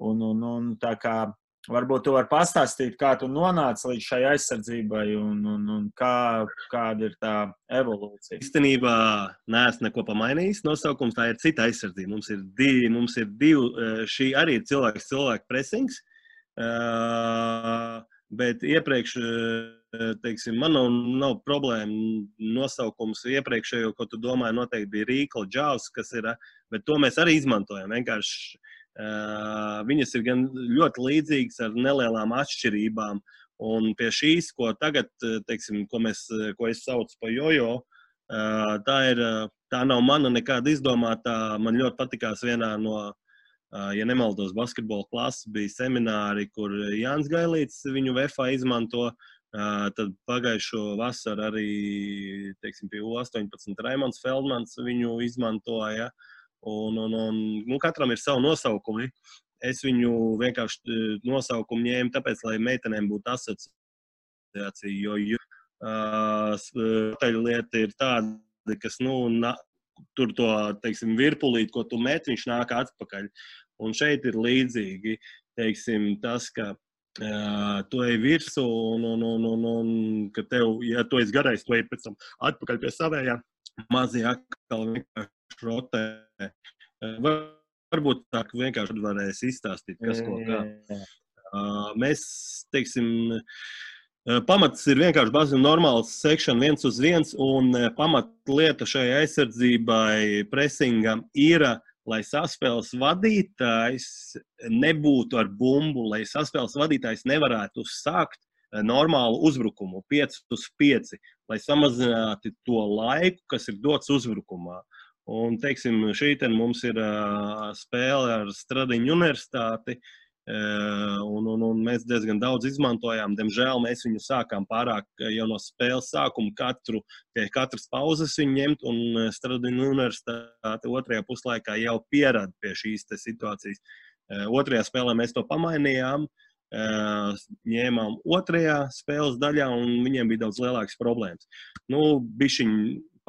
Un tā kā varbūt tu vari pastāstīt, kā tu nonāci līdz šai aizsardzībai un kāda ir tā evolūcija. Īstenībā neesmu neko pamainījis. Nosaukums tā ir cita aizsardzība. Mums ir 2, šī arī ir cilvēku presings, bet iepriekš, teiksim, man nav problēma nosaukums iepriekšējo, ko tu domāji, noteikti bija Rīkla Džavs, kas ir, bet to mēs arī izmantojam. Vienkārši viņas ir gan ļoti līdzīgas ar nelielām atšķirībām, un pie šīs, ko tagad, teiksim, ko es saucu pa jojo, tā nav mana nekāda izdomātā. Man ļoti patikās vienā no, ja nemaldos, basketbola klases bija semināri, kur Jānis Gailīts viņu VFA izmanto, tad pagājušo vasaru arī, teiksim, pie U18 Raimonds Feldmans viņu izmantoja. Un katram ir savu nosaukumi. Es viņu vienkārši nosaukumu ņēmu tāpēc, lai meitenēm būtu asociācija, jo lieta ir tāda, kas, tur to, teiksim, virpulīt, ko tu met, viņš nāk atpakaļ. Un šeit ir līdzīgi, teiksim, tas, ka tu ej virsū un ka tev, ja tu esi garais, tu ej pēc tam atpakaļ pie savējā, mazie atkal vienkārši rotē. Varbūt tā vienkārši varēs izstāstīt, kas ko kā. Mēs, teiksim, pamats ir vienkārši bazina normāls sekšana 1 uz 1, un pamatlieta šai aizsardzībai presingam ir, lai saspēles vadītājs nebūtu ar bumbu, lai saspēles vadītājs nevarētu sākt normālu uzbrukumu 5 uz 5, lai samazinātu to laiku, kas ir dots uzbrukumā. Un, teiksim, šī mums ir spēle ar Stradiņu universitāti, un mēs diezgan daudz izmantojām. Diemžēl mēs viņu sākām pārāk jau no spēles sākuma pie katras pauzes viņu ņemt, un Stradiņu universitāte 2. puslaikā jau pierada pie šīs situācijas. 2. spēlē mēs to pamainījām, ņēmām otrajā spēles daļā, un viņiem bija daudz lielākas problēmas. Nu, bišķiņ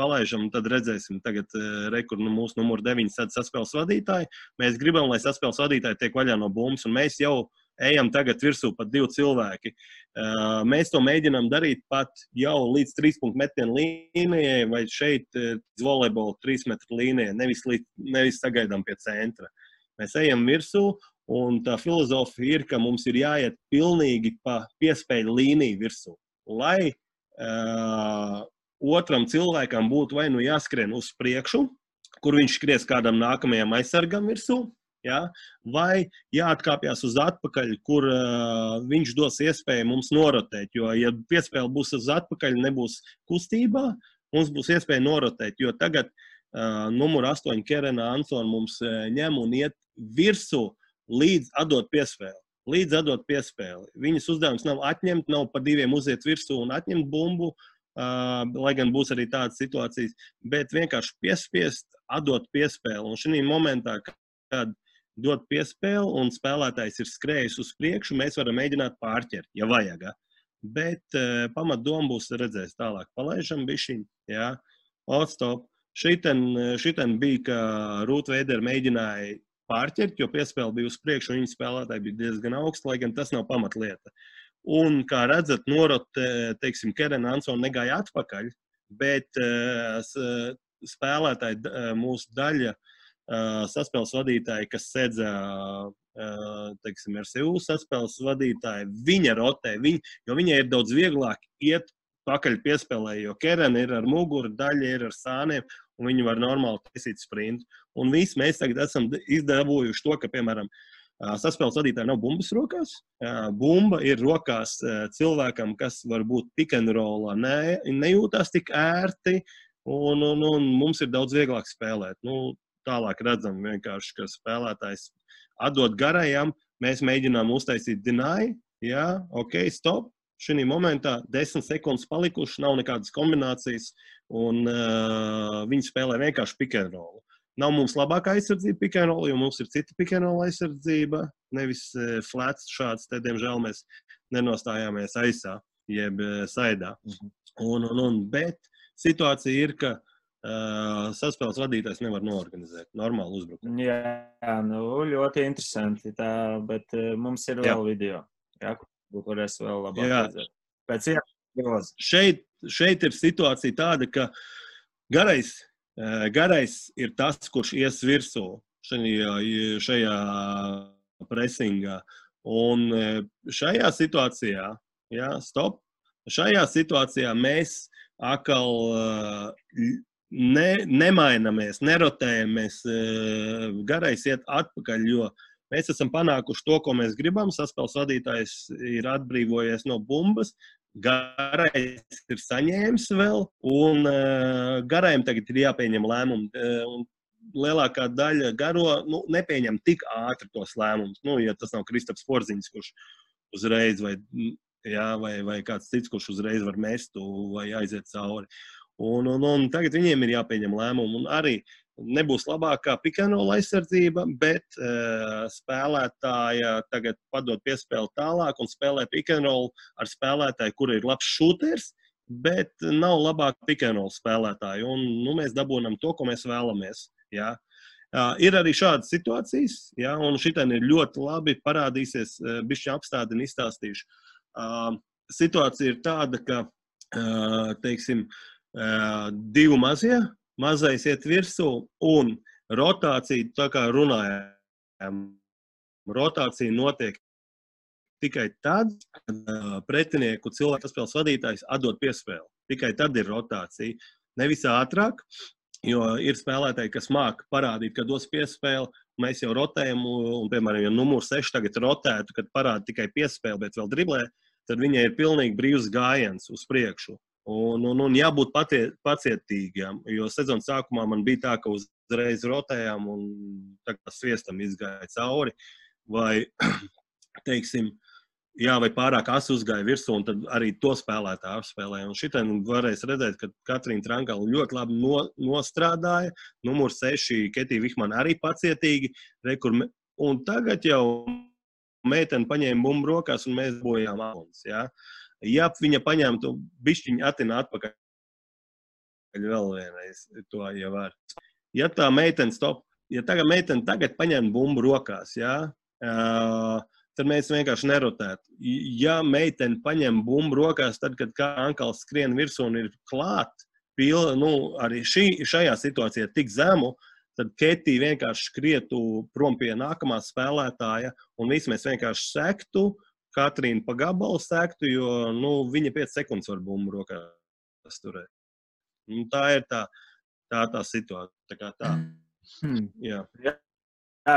palaižam, tad redzēsim tagad mūsu numuru 9 saspēles vadītāji. Mēs gribam, lai saspēles vadītāji tiek vaļā no bumbas, un mēs jau ejam tagad virsū pat 2 cilvēki. Mēs to mēģinām darīt pat jau līdz 3 punktu metienu līnijai vai šeit volejbola 3 metru līnijai, nevis sagaidām pie centra. Mēs ejam virsū, un tā filozofija ir, ka mums ir jāiet pilnīgi pa piespēļu līniju virsū, lai otram cilvēkam būtu vai nu jāskrien uz priekšu, kur viņš skries kādam nākamajam aizsargam virsū, ja? Vai jāatkāpjas uz atpakaļ, kur viņš dos iespēju mums norotēt, jo, ja piespēle būs uz atpakaļ, nebūs kustībā, mums būs iespēja norotēt, jo tagad numur 8 Kerena Ansona mums ņem un iet virsū līdz atdot piespēli. Viņas uzdevums nav atņemt, nav pa 2 uziet virsū un atņemt bumbu, lai gan būs arī tādas situācijas, bet vienkārši piespiest, atdot piespēli. Un šī momentā, kad dot piespēli un spēlētājs ir skrējis uz priekšu, mēs varam mēģināt pārķert, ja vajag. Bet pamatdoma būs redzēs tālāk. Palaižam bišķiņ, jā, stop. Šiten bija, ka Ruth Vader mēģināja pārķert, jo piespēle bija uz priekšu, un viņa spēlētāji bija diezgan augsti, lai gan tas nav pamatlieta. Un, kā redzat, teiksim, Kerena Ansona negāja atpakaļ, bet spēlētāji, mūsu daļa saspēles vadītāji, kas sedza, teiksim, RSU saspēles vadītāji, viņa rotē, jo viņai ir daudz vieglāk iet pakaļ piespēlē, jo Kerena ir ar muguru, daļa ir ar sāniem, un viņi var normāli taisīt sprintu. Un visi mēs tagad esam izdabūjuši to, ka, piemēram, saspēles vadītāji nav bumbas rokās. Bumba ir rokās cilvēkam, kas varbūt pick and rollā nejūtās tik ērti, un mums ir daudz vieglāk spēlēt. Nu, tālāk redzam vienkārši, ka spēlētājs atdot garajam, mēs mēģinām uztaisīt deny, jā, ok, stop. Šī momentā 10 sekundes palikuši, nav nekādas kombinācijas, un viņi spēlē vienkārši pick and roll. Nav mums labākā aizsardzība pick and roll, jo mums ir cita pick and roll aizsardzība, nevis flats šāds, te, diemžēl, mēs nenostājāmies aizsā, jeb saidā. Bet situācija ir, ka saspēles vadītājs nevar noorganizēt normālu uzbrukumu. Jā, nu, ļoti interesanti, bet mums ir vēl video, jā, kur es vēl labāk redzētu. Pēc iegroza. Šeit ir situācija tāda, ka garais ir tas, kurš ies virsū šajā presingā. Un šajā situācijā, jā, stop, šajā situācijā mēs atkal nemainamies, nerotējamies, garais iet atpakaļ, jo mēs esam panākuši to, ko mēs gribam. Saspēles vadītājs ir atbrīvojies no bumbas, garais ir saņēmis vēl, un garajam tagad ir jāpieņem lēmumu. Lielākā daļa garo nepieņem tik ātri tos lēmumus. Ja tas nav Kristaps Porziņš, kurš uzreiz, vai kāds cits, kurš uzreiz var mest vai aiziet cauri. Un tagad viņiem ir jāpieņem lēmumu, un arī nebūs labākā pick and roll aizsardzība, bet spēlētāja tagad padod piespēli tālāk un spēlē pick and roll ar spēlētāju, kura ir labs šūters, bet nav labāka pick and roll spēlētāja. Un mēs dabūnam to, ko mēs vēlamies. Jā. Ir arī šādas situācijas, jā, un šitien ir ļoti labi parādīsies, bišķi apstādini izstāstīšu. Situācija ir tāda, ka, teiksim, 2 mazie, mazais iet virsū, un rotācija, tā kā runājām, rotācija notiek tikai tad, kad pretinieku cilvēku spēles vadītājs atdod piespēli. Tikai tad ir rotācija. Nevis ātrāk, jo ir spēlētāji, kas māk parādīt, ka dos piespēli, mēs jau rotējam, un, piemēram, ja numur 6 tagad rotētu, kad parāda tikai piespēli, bet vēl driblē, tad viņai ir pilnīgi brīvs gājiens uz priekšu. Un jābūt pacietīgiem, jo sezonas sākumā man bija tā, ka uzreiz rotējām un tā kā sviestam izgāja cauri, vai, teiksim, vai pārāk asi uzgāja virsū, un tad arī to spēlētāju apspēlēja. Un šitien varēs redzēt, ka Katrīna Trankala ļoti labi nostrādāja, numur 6 Ketija Vihmana arī pacietīgi, un tagad jau meitene paņēma bumbu rokās un mēs bojām apuns, jā. Ja viņa paņēma to bišķiņu atina atpakaļ vēl vienreiz, to jau var. Ja tā meitene tagad meitene paņēma bumbu rokās, jā, tad mēs vienkārši nerotētu. Ja meitene paņem bumbu rokās, tad, kad kā ankals skrien virsū un ir klāt, arī šajā situācijā tik zemu, tad Ketī vienkārši skrietu prom pie nākamā spēlētāja un visi mēs vienkārši sektu, Katrīna pa gabalu sektu, jo viņa 5 sekundes var bumbu rokās turēt. Tā ir tā situācija. Tā kā tā. Jā,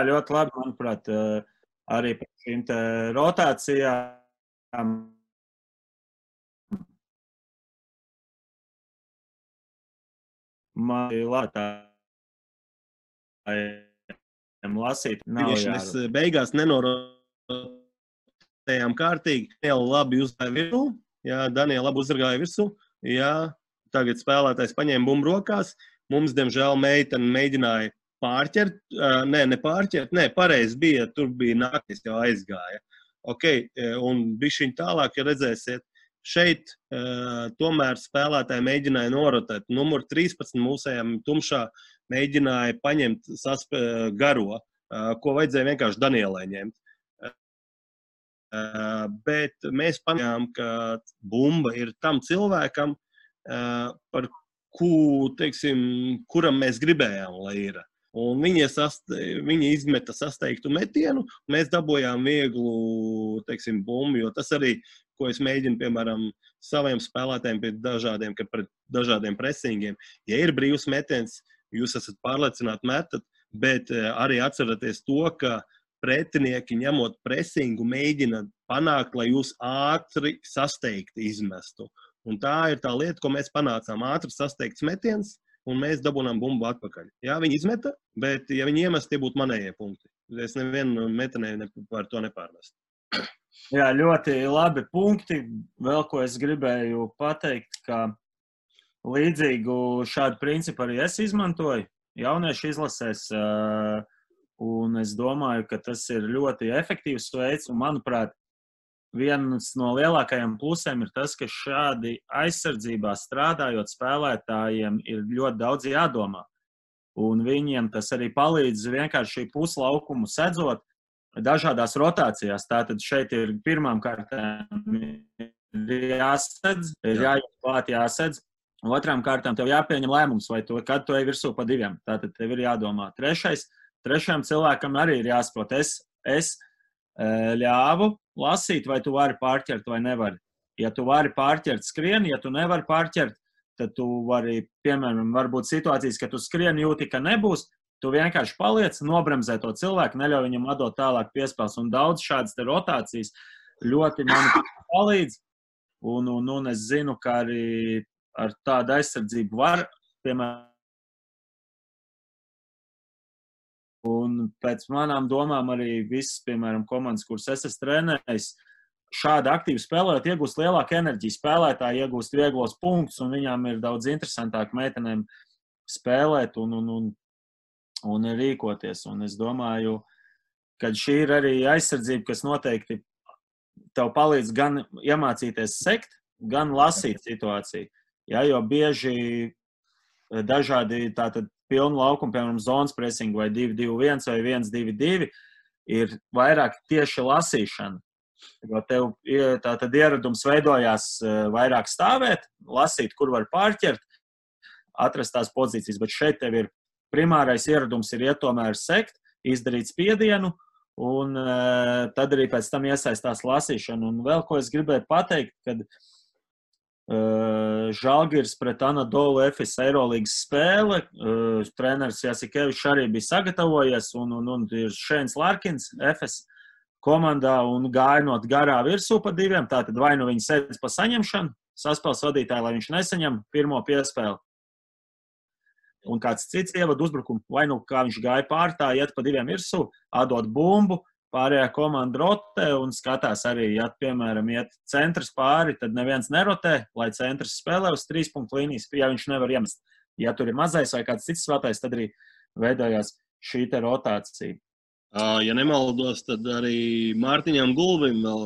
ļoti labi, manuprāt, arī par šīm te rotācijām. Man ir lasīt. Mēs beigās nenorotējām kārtīgi. Daniela labi uzgāja virsū. Jā, Daniela labi uzragāja virsū. Jā, tagad spēlētājs paņēma bumbu rokās. Mums, diemžēl, meitene mēģināja pārķert. Pareizi bija. Tur bija nāktis jau aizgāja. Ok, un bišķiņ tālāk, ja redzēsiet, šeit tomēr spēlētāji mēģināja norotēt. Numur 13 mūsējām tumšā mēģināja paņemt garo, ko vajadzēja vienkārši Danielai ņemt. Bet mēs paņēmām, ka bumba ir tam cilvēkam, par kuram mēs gribējām, lai ir. Un viņi izmeta sasteigtu metienu, un mēs dabojām vieglu, bumbu, jo tas arī, ko es mēģinu, piemēram, saviem spēlētājiem pret dažādiem presingiem. Ja ir brīvs metiens, jūs esat pārliecināti metat, bet arī atceraties to, ka pretinieki ņemot presingu mēģina panākt, lai jūs ātri sasteigti izmestu. Un tā ir tā lieta, ko mēs panācām. Ātri sasteigts metiens, un mēs dabūnām bumbu atpakaļ. Jā, viņi izmeta, bet ja viņi iemest, tie būtu manējie punkti. Es nevienu metenēju par to nepārmestu. Jā, ļoti labi punkti. Vēl ko es gribēju pateikt, ka līdzīgu šādu principu arī es izmantoju jauniešu izlasēs, un es domāju, ka tas ir ļoti efektīvs veids, un manuprāt, viens no lielākajiem plusiem ir tas, ka šādi aizsardzībā strādājot spēlētājiem ir ļoti daudz jādomā, un viņiem tas arī palīdz vienkārši puslaukumu sedzot dažādās rotācijās. Tātad šeit ir pirmām kārtām jāsedz, jāiet klāt jāsedz. Otrām kārtām tev jāpieņem lēmums, vai kad tu ej virsū pa 2. Tātad tev ir jādomā. Trešajam cilvēkam arī ir jāsaprot. Es ļāvu lasīt, vai tu vari pārķert vai nevari. Ja tu vari pārķert, skrien. Ja tu nevari pārķert, tad tu vari, piemēram, varbūt situācijas, ka tu skrien jūti, ka nebūs. Tu vienkārši paliec, nobremzē to cilvēku, neļauj viņam atdot tālāk piespēles. Un daudz šādas te rotācijas ļoti man palīdz. Un es zinu, ka arī ar tādu aizsardzību var, piemēram, un pēc manām domām arī visas, piemēram, komandas, kuras es esmu trenējis, šādi aktīvi spēlējot, iegūst lielāku enerģiju, spēlētāji iegūst vieglos punktus, un viņām ir daudz interesantāk meitenēm spēlēt un rīkoties. Un es domāju, ka šī ir arī aizsardzība, kas noteikti tev palīdz gan iemācīties sekt, gan lasīt situāciju. Ja, jo bieži dažādi tātad pilnu laukumu, piemēram, zonas pressing vai 2-2-1 vai 1-2-2 ir vairāk tieši lasīšana. Jo tev tātad ieradums veidojās vairāk stāvēt, lasīt, kur var pārķert, atrast tās pozīcijas, bet šeit tev ir primārais ieradums ir iet tomēr sekt, izdarīt spiedienu, un tad arī pēc tam iesaistās lasīšana. Un vēl ko es gribēju pateikt, kad Žalgiris pret Anadolu Efes Eirolīgas spēle. Treneris Jasikevičs arī bija sagatavojies, un ir Šēns Larkins Efes komandā un gājot garā virsū pa 2. Tātad vai nu viņi sēdz pa saņemšanu, saspēles vadītāji, lai viņš nesaņem pirmo piespēli. Un kāds cits ievad uzbrukumu, vai nu kā viņš gāja pār tā, iet pa 2 virsū, atdot bumbu, pārējā komanda rotē un skatās arī, ja, piemēram, iet centrs pāri, tad neviens nerotē, lai centrs spēlē uz 3 punktu līnijas, ja viņš nevar iemest. Ja tur ir mazais vai kāds cits spēlētājs, tad arī veidojās šī te rotācija. Ja nemaldos, tad arī Mārtiņam Gulbim vēl,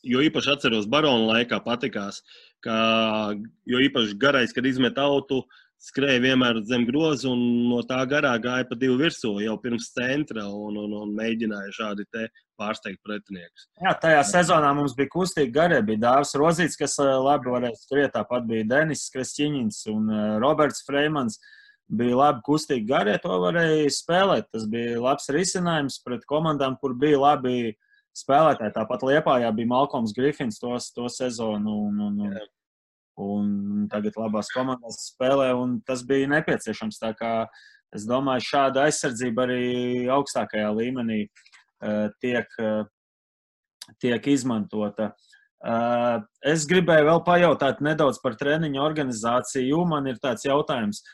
jo īpaši atceros Barona laikā patikās, jo īpaši garais, kad izmet autu, skrēja vienmēr zem groza un no tā garā gāja pa 2 virsū jau pirms centra un mēģināja šādi te pārsteigt pretiniekus. Jā, tajā sezonā mums bija kustīgi garie, bija Dāvis Rozīts, kas labi varēja skriet, tāpat bija Denis Kresķiņins un Roberts Freimans. Bija labi kustīgi garie, to varēja spēlēt. Tas bija labs risinājums pret komandām, kur bija labi spēlētāji. Tāpat Liepājā bija Malkoms Grifins to sezonu un tagad labās komandās spēlē, un tas bija nepieciešams. Tā kā es domāju, šāda aizsardzība arī augstākajā līmenī tiek izmantota. Es gribēju vēl pajautāt nedaudz par treniņu organizāciju. Man ir tāds jautājums.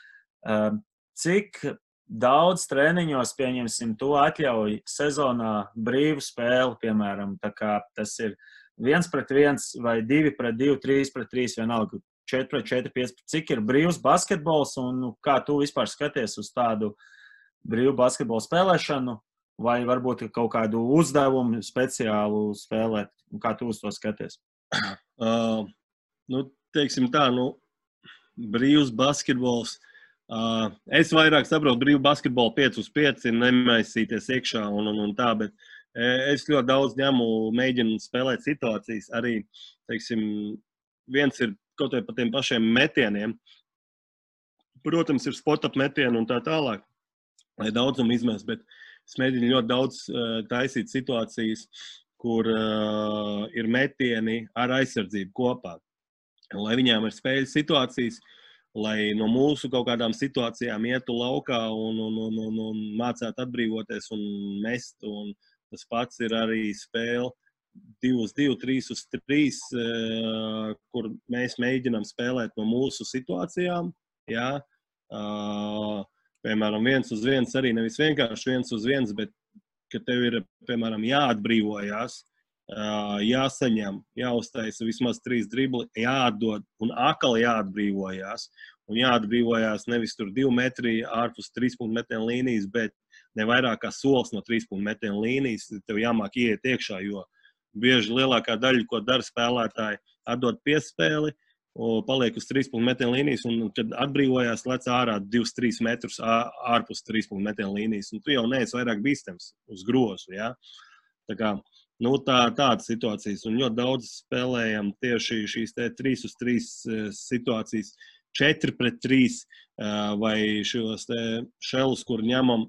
Cik daudz treniņos, pieņemsim, to atļauj sezonā brīvu spēli, piemēram, tā kā tas ir 1-1 vai 2-2, 3-3, vienalga 4-4, 5. Cik ir brīvs basketbols un kā tu vispār skaties uz tādu brīvu basketbolu spēlēšanu vai varbūt kaut kādu uzdevumu speciālu spēlēt? Kā tu uz to skaties? Teiksim tā, brīvs basketbols. Es vairāk saprotu brīvu basketbolu 5-5, nemaisīties iekšā un tā, bet es ļoti daudz mēģinu spēlēt situācijas. Arī, teiksim, viens ir kaut vai pa tiem pašiem metieniem. Protams, ir spot-up metieni un tā tālāk, lai daudzumu izmest, bet es mēģinu ļoti daudz taisīt situācijas, kur ir metieni ar aizsardzību kopā. Lai viņām ir spēļu situācijas, lai no mūsu kaut kādām situācijām ietu laukā un mācētu atbrīvoties un mest. Un tas pats ir arī spēle 2-2, 3-3, kur mēs mēģinām spēlēt no mūsu situācijām. Jā. Piemēram, 1-1 arī nevis vienkārši 1-1, bet ka tev ir, piemēram, jāatbrīvojās, jāsaņem, jāuztaisa vismaz 3 dribli, jāatdod un atkal jāatbrīvojās. Un jāatbrīvojās nevis tur 2 metri ārpus 3-punktu metienu līnijas, bet ne vairāk kā solis no 3-punktu metienu līnijas. Tev jāmāk ieiet iekšā, jo bieži lielākā daļa, ko dara spēlētāji, atdod piespēli, paliek uz 3-punktu metienu līnijas, un kad atbrīvojās, lec ārā 2-3 metrus ārpus 3-punktu metienu līnijas. Un tu jau neesi vairāk bīstams uz grozu, ja? Tā kā tādas situācijas, un ļoti daudz spēlējam tieši šīs 3-3 situācijas, 4-3 vai šos šelus, kur ņemam,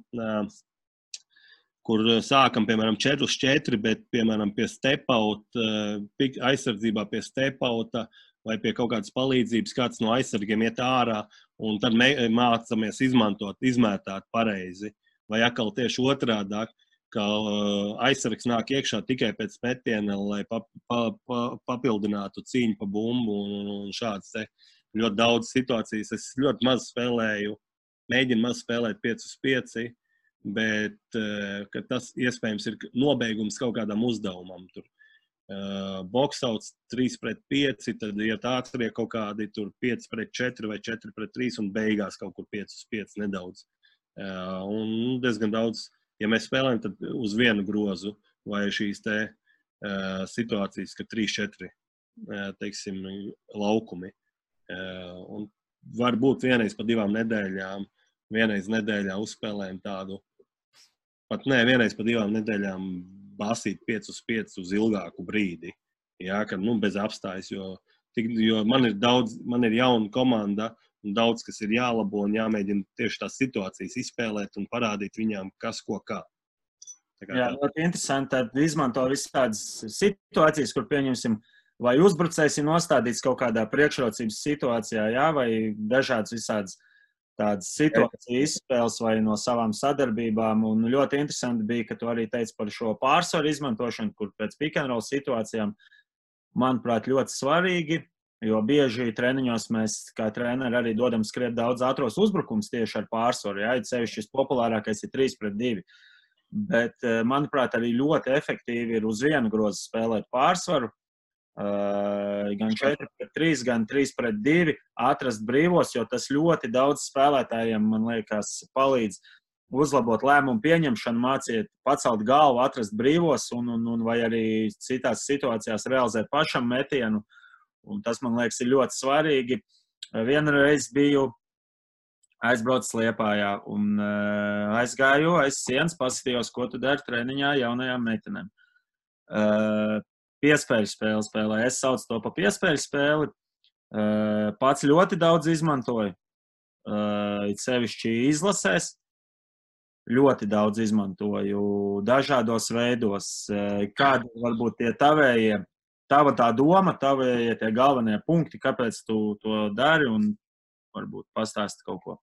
kur sākam, piemēram, 4-4, bet, piemēram, pie step-out, aizsardzībā pie step-outa vai pie kaut kādas palīdzības, kāds no aizsargiem iet ārā, un tad mācamies izmētāt pareizi, vai atkal tieši otrādāk, ka aizsargs nāk iekšā tikai pēc metiena, lai papildinātu cīņu pa bumbu un šādas te ļoti daudz situācijas. Es ļoti maz spēlēju, mēģinu maz spēlēt 5-5, bet ka tas iespējams ir nobeigums kaut kādam uzdevumam. Tur boksauts 3-5, tad iet ātrie kaut kādi tur 5-4 vai 4-3 un beigās kaut kur 5-5 nedaudz. Un diezgan daudz. Ja mēs spēlējam, tad uz vienu grozu vai šīs te situācijas, ka 3-4, teiksim, laukumi. Un varbūt vienreiz pa 2 nedēļām, vienreiz nedēļā uzspēlējam tādu, pat ne, vienreiz pa 2 nedēļām basīt 5-5 uz ilgāku brīdi. Jā, ka, bez apstājas, jo man ir jauna komanda, un daudz, kas ir jālabo un jāmēģina tieši tās situācijas izspēlēt un parādīt viņām, kas ko kā. Jā, ļoti interesanti. Tad izmanto visādas situācijas, kur pieņemsim, vai uzbrucējs ir nostādīts kaut kādā priekšrocības situācijā, jā, vai dažādas visādas tādas situācijas izspēles vai no savām sadarbībām. Un ļoti interesanti bija, ka tu arī teici par šo pārsvaru izmantošanu, kur pēc pick and roll situācijām, manuprāt, ļoti svarīgi. Jo bieži treniņos mēs, kā treneri, arī dodam skriet daudz ātros uzbrukums tieši ar pārsvaru. Jā, sevišķi šis populārākais ir 3-2. Bet, manuprāt, arī ļoti efektīvi ir uz vienu grozu spēlēt pārsvaru. Gan 4-3, gan 3-2, atrast brīvos, jo tas ļoti daudz spēlētājiem, man liekas, palīdz uzlabot lēmumu pieņemšanu, māciet pacelt galvu, atrast brīvos un vai arī citās situācijās realizēt pašam metienu. Un tas, man liekas, ir ļoti svarīgi. Vienreiz biju aizbraucis Liepājā un aizgāju aiz sienas, paskatījos, ko tu dari treniņā jaunajām meitenēm. Piespēļu spēli spēlē. Es saucu to pa piespēļu spēli. Pats ļoti daudz izmantoju. It sevišķi izlasēs. Ļoti daudz izmantoju dažādos veidos. Kādi varbūt tie tavējie, tava tā doma, tavējie tie galvenie punkti, kāpēc tu to dari un varbūt pastāsti kaut ko.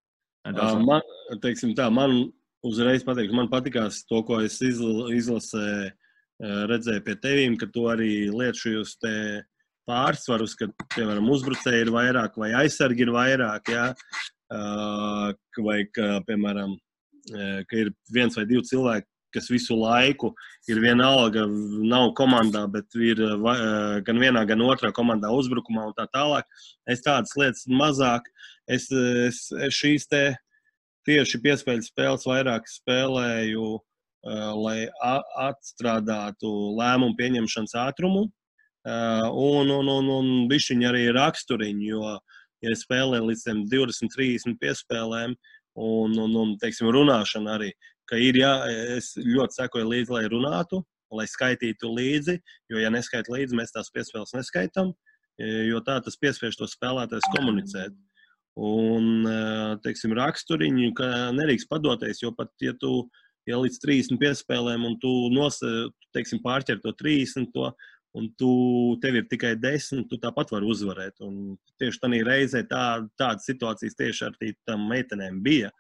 Man, teiksim tā, man uzreiz pateikšu, man patikās to, ko es izlasēju, redzēju pie tevīm, ka tu arī liet šajos te pārsvarus, ka, piemēram, uzbrucēji ir vairāk vai aizsargi ir vairāk, jā, vai, ka, piemēram, ka ir viens vai divi cilvēki, kas visu laiku ir vienalga, nav komandā, bet ir gan vienā, gan otrā komandā uzbrukumā un tā tālāk. Es tādas lietas mazāk. Es šīs te tieši piespēļu spēles vairāk spēlēju, lai atstrādātu lēmumu pieņemšanas ātrumu un bišķiņi arī raksturiņu, jo, ja spēlē līdz 20-30 piespēlēm, un teiksim, runāšana arī, ka ir es ļoti sekoju līdzi, lai runātu, lai skaitītu līdzi, jo, ja neskait līdzi, mēs tās piespēles neskaitam, jo tā tas piespiež to spēlētājs komunicēt. Un, teiksim, raksturiņu, ka nerīkst padoties, jo pat, ja līdz 30 piespēlēm un tu teiksim, pārķer to 30, un tev ir tikai 10, tu tāpat vari uzvarēt. Un tieši tādā reizē tādas situācijas tieši ar tām meitenēm bija,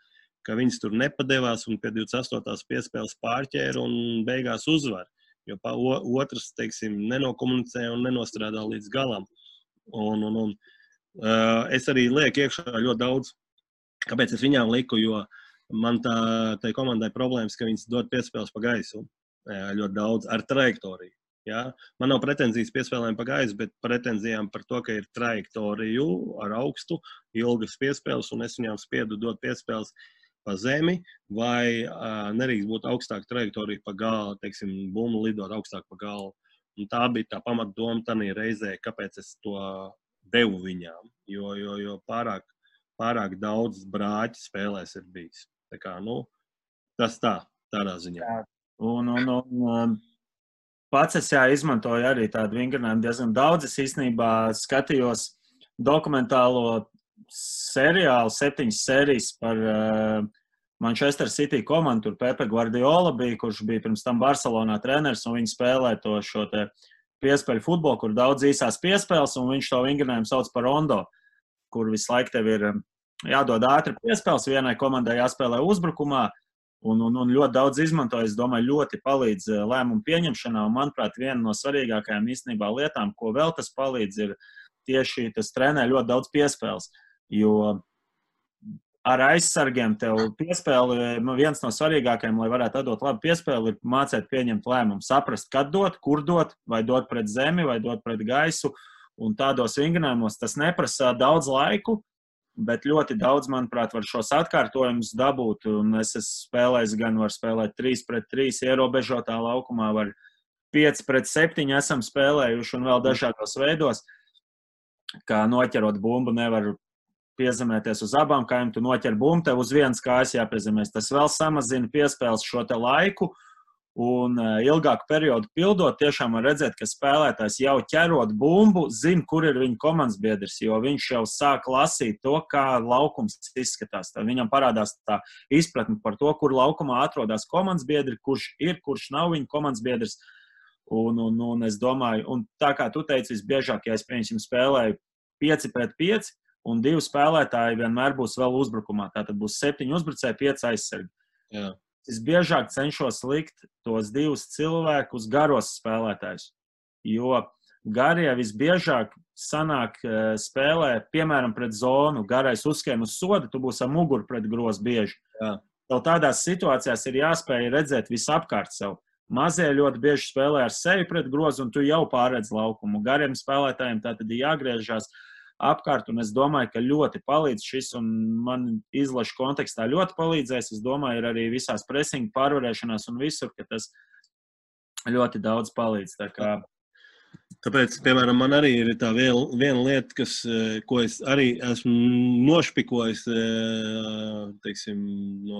ka viņas tur nepadevās un pie 28. piespēles pārķēra un beigās uzvar. Jo otrs, teiksim, nenokomunicē un nenostrādā līdz galam. Es arī lieku iekšā ļoti daudz. Kāpēc es viņām liku? Jo man tai komandai problēmas, ka viņas dod piespēles pa gaisu ļoti daudz ar trajektoriju. Ja? Man nav pretenzijas piespēlēm pa gaisu, bet pretenzijām par to, ka ir trajektoriju ar augstu, ilgas piespēles, un es viņām spiedu dot piespēles pa zemi, vai nerīkst būt augstāk trajektorija pa galu, teiksim, bumbu lidot augstāk pa galu. Un tā bija tā pamatdoma tādā reizē, kāpēc es to devu viņām, jo pārāk daudz brāķi spēlēs ir bijis. Tā kā, tas tādā ziņā. Jā. Un pats es izmantoju arī tādu vingrinājumu diezgan daudz. Es īstenībā skatījos dokumentālo seriālu, 7 sērijas par Manchester City komandu. Tur Pepe Guardiola bija, kurš bija pirms tam Barcelonā treneris, un viņi spēlē šo te piespēļu futbolu, kur daudz īsās piespēles, un viņš to vingrinājumu sauc par rondo, kur visu laiku tev ir jādod ātri piespēles, vienai komandai jāspēlē uzbrukumā, un ļoti daudz izmantoju, es domāju, ļoti palīdz lēmumu pieņemšanā, un, manuprāt, viena no svarīgākajām īstenībā lietām, ko vēl tas palīdz, ir tieši tas trenē ļoti daudz piespēles, jo ar aizsargiem tev piespēli, viens no svarīgākajiem, lai varētu atdot labu piespēli, ir mācēt pieņemt lēmumu, saprast, kad dot, kur dot, vai dot pret zemi, vai dot pret gaisu, un tādos vingrinājumos tas neprasa daudz laiku, bet ļoti daudz, manuprāt, var šos atkārtojumus dabūt, un es esmu spēlējis, gan var spēlēt 3-3 ierobežotā laukumā, var 5-7 esam spēlējuši un vēl dažādos veidos, kā noķerot bumbu nevar piezemēties uz abām kājām, tu noķer bumbu, tev uz vienas kājas jāpiezemēs. Tas vēl samazina piespēles šo te laiku, un ilgāku periodu pildot, tiešām var redzēt, ka spēlētājs jau ķerot bumbu, zina, kur ir viņa komandas biedrs, jo viņš jau sāk lasīt to, kā laukums izskatās. Tad viņam parādās tā izpratne par to, kur laukumā atrodas komandas biedri, kurš ir, kurš nav viņa komandas biedrs. Un es domāju, un tā kā tu teici, visbiežāk, ja es pieņemsim spēlēju 5-5, un 2 spēlētāji vienmēr būs vēl uzbrukumā. Tātad būs 7 uzbrucēji, 5 aizsargi. Jā. Es biežāk cenšos likt tos 2 cilvēkus garos spēlētājus, jo garie visbiežāk sanāk spēlē, piemēram, pret zonu, garais uzskrien uz sodu, tu būsi ar muguru pret grozu bieži. Jā. Tev tādās situācijās ir jāspēj redzēt visapkārt sev. Mazie ļoti bieži spēlē ar sevi pret grozu, un tu jau pārredz laukumu. Gariem spēlētājiem tātad ir jāgriežās apkārt, un es domāju, ka ļoti palīdz šis, un man izlašu kontekstā ļoti palīdzēs. Es domāju, ir arī visās presinga pārvarēšanās un visur, ka tas ļoti daudz palīdz. Tāpēc, piemēram, man arī ir tā viena lieta, ko es arī esmu nošpikojis, teiksim, no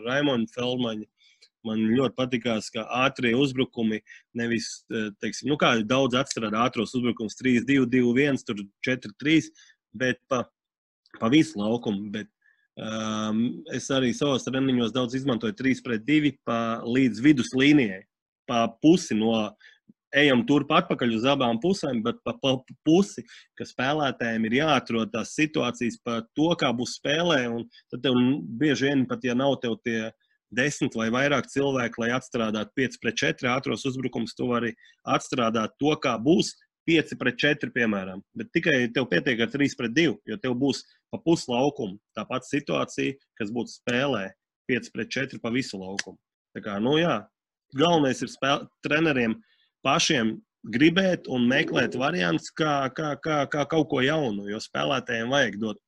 Raimonda Feldmaņa. Man ļoti patikās, ka ātrie uzbrukumi nevis, teiksim, kā daudz atstrādā ātros uzbrukums 3-2-2-1, tur 4-3, bet pa visu laukumu. Bet es arī savos treniņos daudz izmantoju 3-2 līdz vidus līnijai. Pa pusi ejam turp atpakaļ uz abām pusēm, bet pa pusi, ka spēlētājiem ir jāatrod tās situācijas pa to, kā būs spēlē, un tad tev bieži vien pat, ja nav tev tie 10 vai vairāk cilvēki, lai atstrādātu 5-4 ātros uzbrukums, tu vari atstrādāt to, kā būs 5-4, piemēram. Bet tikai tev pietiek ar 3-2, jo tev būs pa pusi laukumu. Tāpat situācija, kas būtu spēlē 5-4 pa visu laukumu. Tā kā, galvenais ir treneriem pašiem gribēt un meklēt variants, kā kaut ko jaunu, jo spēlētājiem vajag dot.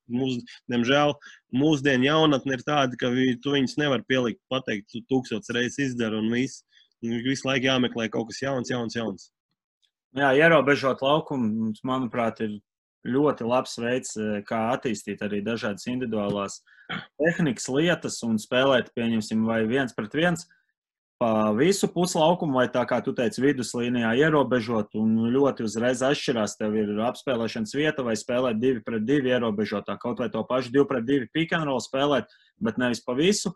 Diemžēl mūsdienu jaunatne ir tāda, ka tu viņus nevar pielikt, pateikt, 1000 reizes izdara un viss. Visu laiku jāmeklē kaut kas jauns. Jā, ierobežot laukumu, manuprāt, ir ļoti labs veids, kā attīstīt arī dažādas individuālās tehnikas lietas un spēlēt, pieņemsim, vai 1-1 pa visu puslaukumu, vai tā kā tu teici, viduslīnijā ierobežot, un ļoti uzreiz atšķirās. Tev ir apspēlēšanas vieta, vai spēlēt 2-2 ierobežotā, kaut vai to pašu 2-2 pick and roll spēlēt, bet nevis pa visu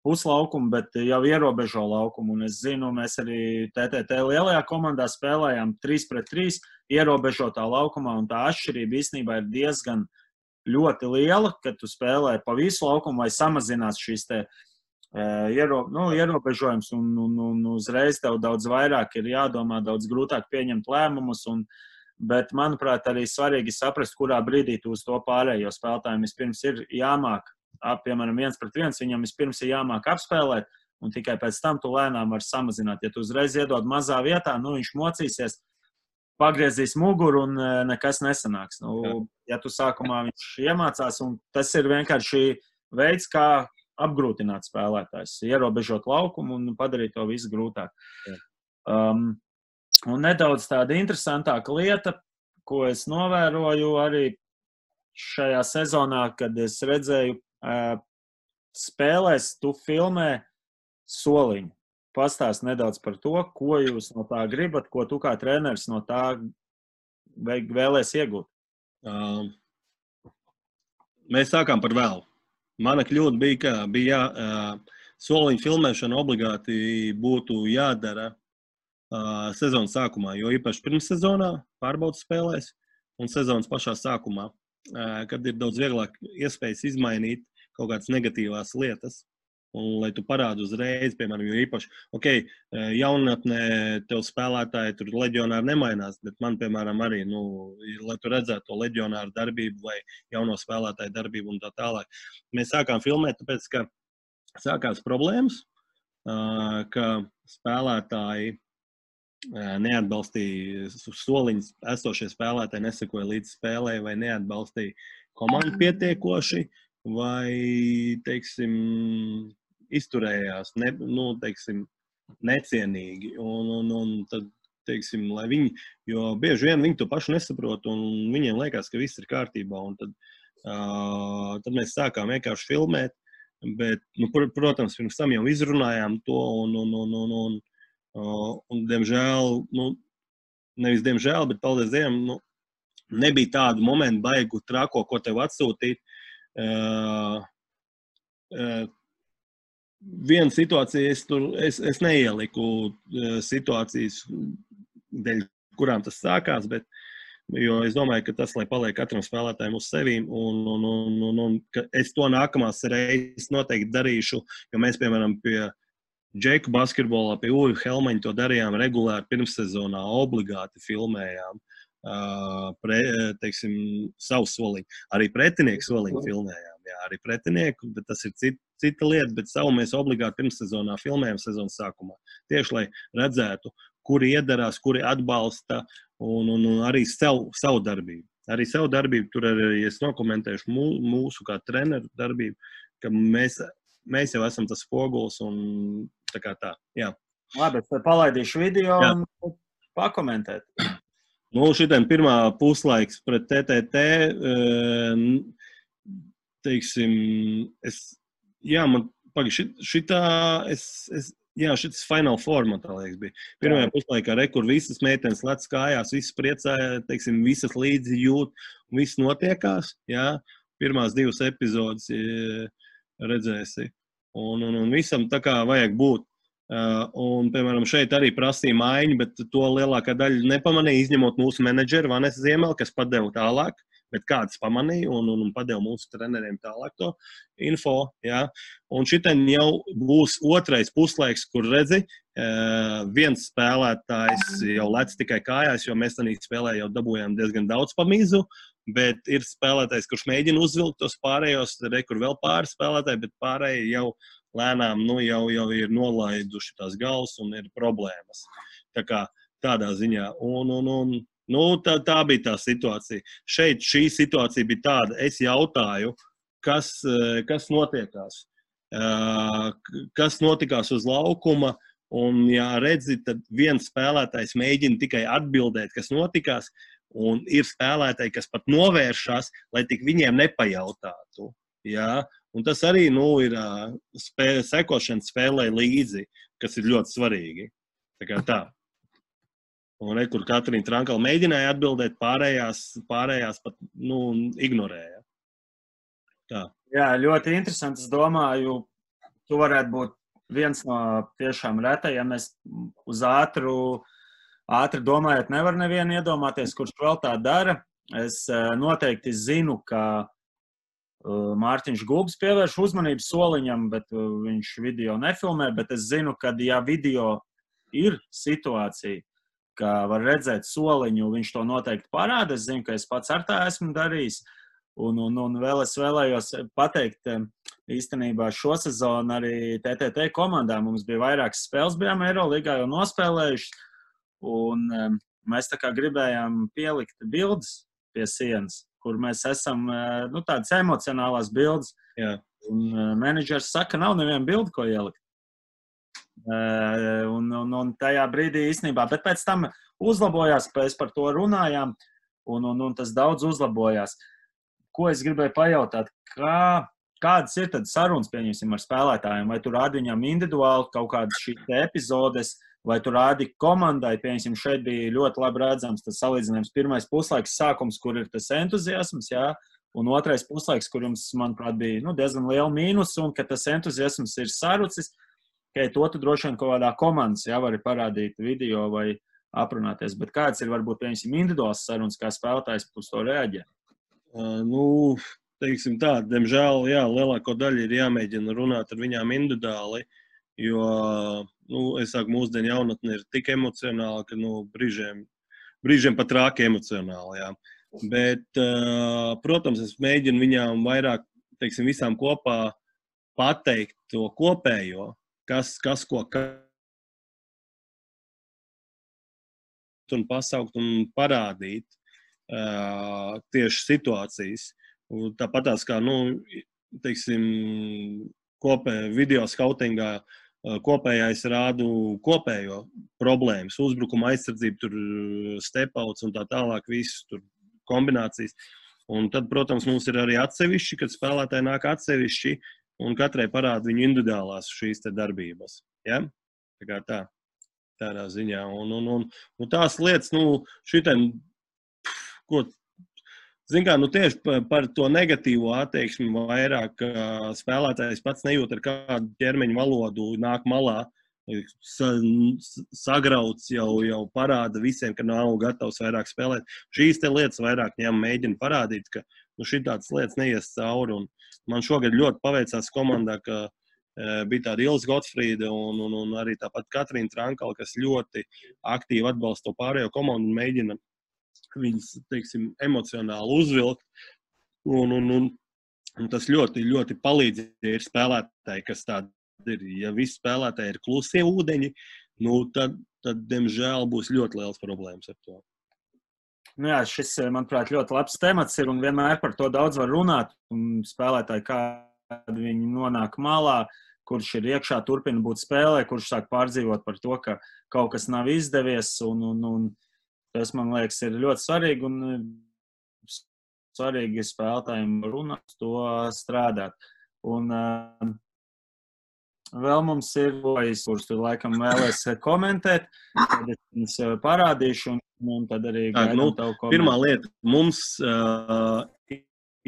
puslaukumu, bet jau ierobežo laukumu. Un es zinu, mēs arī TTT lielajā komandā spēlējām 3-3 ierobežotā laukumā, un tā atšķirība īstenībā ir diezgan ļoti liela, kad tu spēlē pa visu laukumu vai samazinās šīs ierobežojums, un uzreiz tev daudz vairāk ir jādomā, daudz grūtāk pieņemt lēmumus, bet, manuprāt, arī svarīgi saprast, kurā brīdī tu uz to pārējo spēlētājiem vispirms ir jāmāk, piemēram, 1-1, viņam vispirms ir jāmāk apspēlēt, un tikai pēc tam tu lēnām var samazināt. Ja tu uzreiz iedod mazā vietā, viņš mocīsies, pagriezīs muguru un nekas nesanāks. Ja tu sākumā viņš iemācās, un tas ir vienkārši veids, kā apgrūtināt spēlētājs, ierobežot laukumu un padarīt to visu grūtāk. Un nedaudz tāda interesantāka lieta, ko es novēroju arī šajā sezonā, kad es redzēju spēlēs, tu filmē soliņu. Pastāst nedaudz par to, ko jūs no tā gribat, ko tu kā treneris no tā vēlēs iegūt. Mēs sākām par vēlu. Mana kļūda bija soliņu filmēšana obligāti būtu jādara sezonas sākumā, jo īpaši pirmssezonā pārbaudas spēlēs un sezonas pašā sākumā, kad ir daudz vieglāk iespējas izmainīt kaut kādas negatīvās lietas. Un, lai tu parādi uzreiz, piemēram, jo īpaši, jaunatnē tev spēlētāji tur leģionāri nemainās, bet man, piemēram, arī, lai tu redzētu to leģionāru darbību vai jauno spēlētāju darbību un tā tālāk. Mēs sākām filmēt, tāpēc, ka sākās problēmas, ka spēlētāji neatbalstīja soliņus, esošie spēlētāji nesekoja līdz spēlē vai neatbalstīja komandu pietiekoši, vai, teiksim, izturējās, necienīgi. Un tad, teiksim, lai viņi, jo bieži vien viņi to pašu nesaprot, un viņiem liekas, ka viss ir kārtībā. Un tad mēs sākām vienkārši filmēt, bet, protams, pirms tam jau izrunājām to, un diemžēl, nevis diemžēl, bet paldies Dievam, nebija tādu momentu baigu trako, ko tev atsūtīt. Viena situācija, es neieliku situācijas, dēļ kurām tas sākās, jo es domāju, ka tas, lai paliek katram spēlētājiem uz sevīm, un ka es to nākamās reizes noteikti darīšu, jo mēs, piemēram, pie Džeku basketbolā, pie Uvi Helmaņa to darījām regulāri pirmssezonā, obligāti filmējām. Teiksim, savu soliņu. Arī pretinieku soliņu filmējām. Jā, arī pretinieku, bet tas ir cita lieta, bet savu mēs obligāti pirmssezonā filmējam sezonas sākumā. Tieši, lai redzētu, kuri iedarās, kuri atbalsta un arī savu darbību. arī savu darbību, tur arī es nokomentēšu mūsu kā treneru darbību, ka mēs jau esam tas spogulis un tā kā tā, jā. Labi, tad palaidīšu video Jā. un pakomentēt. Nu, šitien pirmā puslaiks pret TTT, teiksim, šis Final Four, man tā liekas, bija. Pirmajā puslaikā rekur visas meitenes lec kājās, visas priecāja, teiksim, visas līdzi jūt, un viss notiekās, jā. Pirmās 2 epizodes redzēsi. Un visam tā kā vajag būt. Un, piemēram, šeit arī prasīja maiņu, bet to lielākā daļa nepamanīja, izņemot mūsu menedžeru Vanesu Ziemeli, kas padeva tālāk, bet kāds pamanīja un padeva mūsu treneriem tālāk to info. Jā. Un šitien jau būs otrais puslaiks, kur redzi, viens spēlētājs jau lec tikai kājās, jo mēs tādā spēlē jau dabūjām diezgan daudz pamīzu, bet ir spēlētājs, kurš mēģina uzvilkt tos pārējos, kur vēl pāris spēlētāji, bet pārējie jau lēnām jau ir nolaiduši tās galvas un ir problēmas. Tā kā tādā ziņā. Tā bija tā situācija. Šeit šī situācija bija tāda. Es jautāju, kas notiekās. Kas notikās uz laukuma. Un, ja redzi, tad viens spēlētājs mēģina tikai atbildēt, kas notikās. Un ir spēlētāji, kas pat novēršās, lai tik viņiem nepajautātu. Jā. Un tas arī ir sekošana spēlē līdzi, kas ir ļoti svarīgi. Tā kā tā. Un kur Katrīna Trankala mēģināja atbildēt, pārējās pat ignorēja. Tā. Jā, ļoti interesanti. Es domāju, tu varētu būt viens no tiešām retajiem. Es uz ātri domājot, nevar nevienu iedomāties, kurš vēl tā dara. Es noteikti zinu, ka Mārtiņš Gulbs pievērš uzmanību soliņam, bet viņš video nefilmē, bet es zinu, ka ja video ir situācija, ka var redzēt soliņu, viņš to noteikti parāda. Es zinu, ka es pats ar tā esmu darījis. Un vēl es vēlējos pateikt, īstenībā šo sezonu arī TTT komandā mums bija vairākas spēles, bijām Eirolīgā jau nospēlējuši, un mēs tā kā gribējām pielikt bildes pie sienas, kur mēs esam, tādas emocionālās bildes. Jā. Un menedžers saka, nav neviena bilde, ko ielikt. Un tajā brīdī īstenībā, bet pēc tam uzlabojās, pēc par to runājām, un tas daudz uzlabojās. Ko es gribēju pajautāt, kādas ir tad sarunas, pieņemsim, ar spēlētājiem? Vai tu rādi viņam individuāli kaut kādas šī epizodes, vai tu rādi komandai? Pieņemsim, šeit bija ļoti labi redzams tas salīdzinājums. Pirmais puslaiks sākums, kur ir tas entuziasms, jā, un otrais puslaiks, kur jums, manuprāt, bija diezgan liela mīnus, un ka tas entuziasms ir sarucis, ka to tu droši vien kaut kādā komandas, jā, vari parādīt video vai aprunāties. Bet kāds ir varbūt, pieņemsim, individuāls sarunas, kā spēlētājs uz to reaģē? Teiksim tā, diemžēl, jā, lielāko daļu ir jāmēģina runāt ar viņām individuāli, jo, es saku, mūsdienu jaunatne ir tik emocionāla, ka, brīžiem pat rāki emocionāli, jā. Bet, protams, es mēģinu viņām vairāk, teiksim, visām kopā pateikt to kopējo, kas ko un pasaukt un parādīt tieši situācijas. Tāpatās kā, teiksim, video skautingā kopējais rādu kopējo problēmas, uzbrukuma aizsardzību, tur step-outs un tā tālāk, visu tur kombinācijas. Un tad, protams, mums ir arī atsevišķi, kad spēlētāji nāk atsevišķi un katrai parāda viņu individuālās šīs te darbības. Ja? Tā kā tā, tādā ziņā. Un tās lietas, šitien, zin kā, tieši par to negatīvo attieksmi vairāk spēlētājs pats nejūt ar kādu ķermeņa valodu, nāk malā, sagrauts jau parāda visiem, ka nav gatavs vairāk spēlēt. Šīs te lietas vairāk viņam mēģina parādīt, ka šitādas lietas neies cauri. Un man šogad ļoti paveicās komandā, ka bija tāda Ilza Gotfrīda un arī tāpat Katrīna Trankala, kas ļoti aktīvi atbalsta to pārējo komandu un mēģina viņas, teiksim, emocionāli uzvilkt. Un tas ļoti, ļoti palīdz, ja ir spēlētāji, kas tādi ir. Ja visi spēlētāji ir klusie ūdeņi, tad, diemžēl, būs ļoti liels problēmas ar to. Nu jā, šis, manuprāt, ļoti labs temats ir un vienmēr par to daudz var runāt. Un spēlētāji, kādi viņi nonāk malā, kurš ir iekšā, turpina būt spēlē, kurš sāk pārdzīvot par to, ka kaut kas nav izdevies. Un tas, man liekas, ir ļoti svarīgi. Un svarīgi spēlētājiem runāt, to strādāt. Un vēl mums ir, kurus tu laikam vēlies komentēt, tad es jums parādīšu, un tad arī gaidām tavu komentāru. Pirmā lieta, mums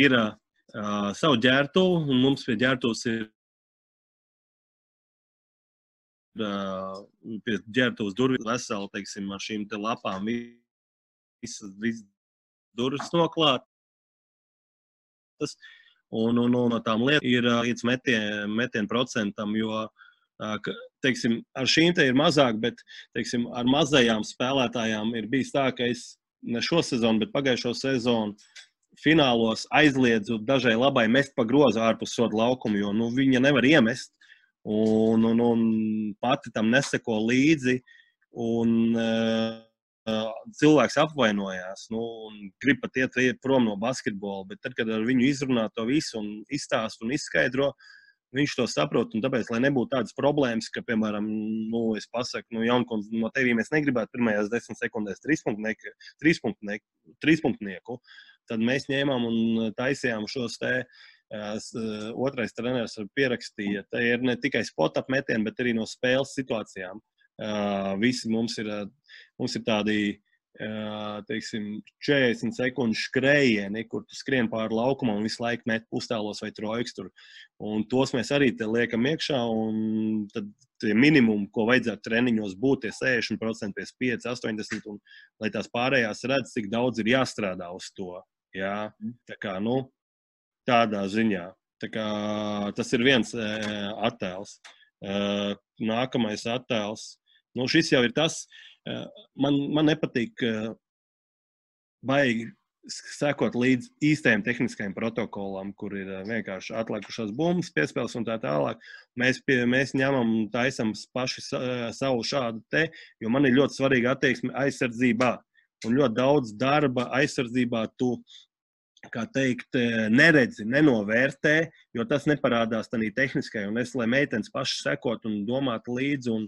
ir savu ģērtuvu, un mums pie ģērtuvs ir pie ģērtuvs durvis veseli, teiksim, ar šīm te lapām visas durvis noklāt. Un no tām lietām ir līdz metienu procentam, jo, teiksim, ar šīm te ir mazāk, bet, teiksim, ar mazajām spēlētājām ir bijis tā, ka es ne šo sezonu, bet pagājušo sezonu finālos aizliedzu dažai labai mest pa grozu ārpus soda laukumu, jo, viņa nevar iemest, un pati tam neseko līdzi, un cilvēks apvainojās, un grib pat iet prom no basketbola, bet tad, kad ar viņu izrunā to visu un izstāst un izskaidro, viņš to saprot, un tāpēc, lai nebūtu tādas problēmas, ka, piemēram, es pasaku, Jaunkundz, no tevī mēs negribētu pirmajās 10 sekundēs trīspunktnieku, tad mēs ņēmām un taisījām šos te otrais treneris pierakstīja. Tā ir ne tikai spot-up metieni, bet arī no spēles situācijām. Visi mums ir tādi, teiksim, 40 sekundžu skrējieni, kur tu skrien pāri laukumam un visu laiku met pustālos vai trojkas tur. Un tos mēs arī te liekam iekšā, un tad tie minimumi, ko vajadzētu treniņos būt, tie 60%, 55, 80, un lai tās pārējās redz, cik daudz ir jāstrādā uz to. Jā, tā kā, tādā ziņā. Tā kā tas ir viens attēls. Nākamais attēls. Šis jau ir tas, man nepatīk baigi sekot līdz īstajiem tehniskajiem protokolam, kur ir vienkārši atlikušās bumbas, piespēles un tā tālāk. Mēs ņemam un taisam paši savu šādu te, jo man ir ļoti svarīga attieksme aizsardzībā. Un ļoti daudz darba aizsardzībā tu, kā teikt, neredzi, nenovērtē, jo tas neparādās tādā tehniskai. Un lai meitenes paši sekot un domāt līdzi, un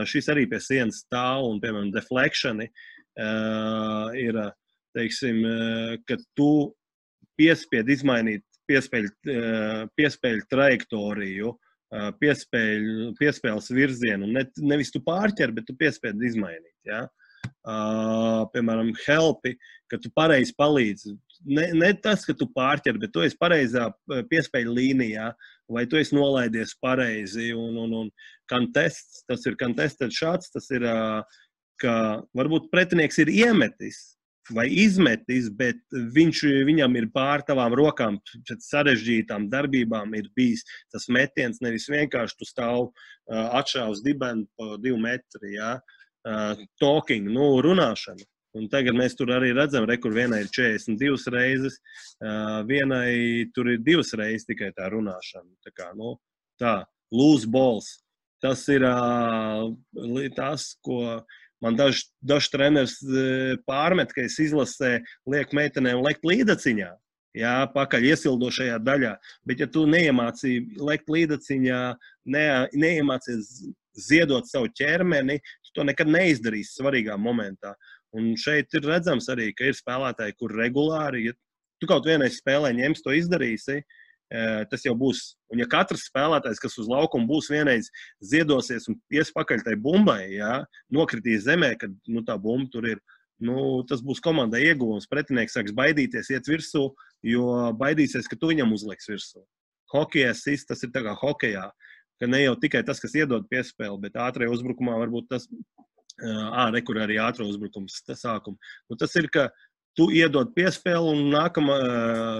šis arī pie sienas stāv, un, piemēram, deflectioni ir, teiksim, ka tu piespied izmainīt piespēļu trajektoriju, piespēles virzienu, nevis tu pārķer, bet tu piespied izmainīt, ja? Piemēram, helpi, ka tu pareizi palīdzi. Ne tas, ka tu pārķer, bet tu esi pareizā piespēļu līnijā, vai tu esi nolaidies pareizi, un contests, tas ir contested shots, tas ir, ka varbūt pretinieks ir iemetis vai izmetis, bet viņam ir pār tavām rokām pēc sarežģītām darbībām ir bijis tas metiens, nevis vienkārši tu stāv atšāvs dibenu pa 2 metri, jā. Talking, runāšana. Un tagad mēs tur arī redzam, kur vienai ir 42 reizes, vienai tur ir 2 reizes tikai tā runāšana. Tā kā, tā, loose balls. Tas ir tas, ko man daži treneris pārmet, ka es izlasē lieku meitenēm lekt līdaciņā. Jā, pakaļ iesildošajā daļā. Bet ja tu neiemācīji lekt līdaciņā, neiemācies ziedot savu ķermeni, tu to nekad neizdarīsi svarīgā momentā. Un šeit ir redzams arī, ka ir spēlētāji, kur regulāri, ja tu kaut vienais spēlē ņems to izdarīsi, tas jau būs. Un ja katrs spēlētājs, kas uz laukumu būs vienreiz ziedosies un ies pakaļ tai bumbai, jā, nokritīs zemē, kad tā bumba tur ir, tas būs komandai ieguvums. Pretinieks sāks baidīties, iet virsū, jo baidīsies, ka tu viņam uzliks virsū. Hokejā tas ir tā kā hokejā. Ka ne jau tikai tas, kas iedod piespēli, bet ātrajā uzbrukumā varbūt tas, kur arī ātrā uzbrukums sākuma. Tas ir, ka tu iedod piespēli un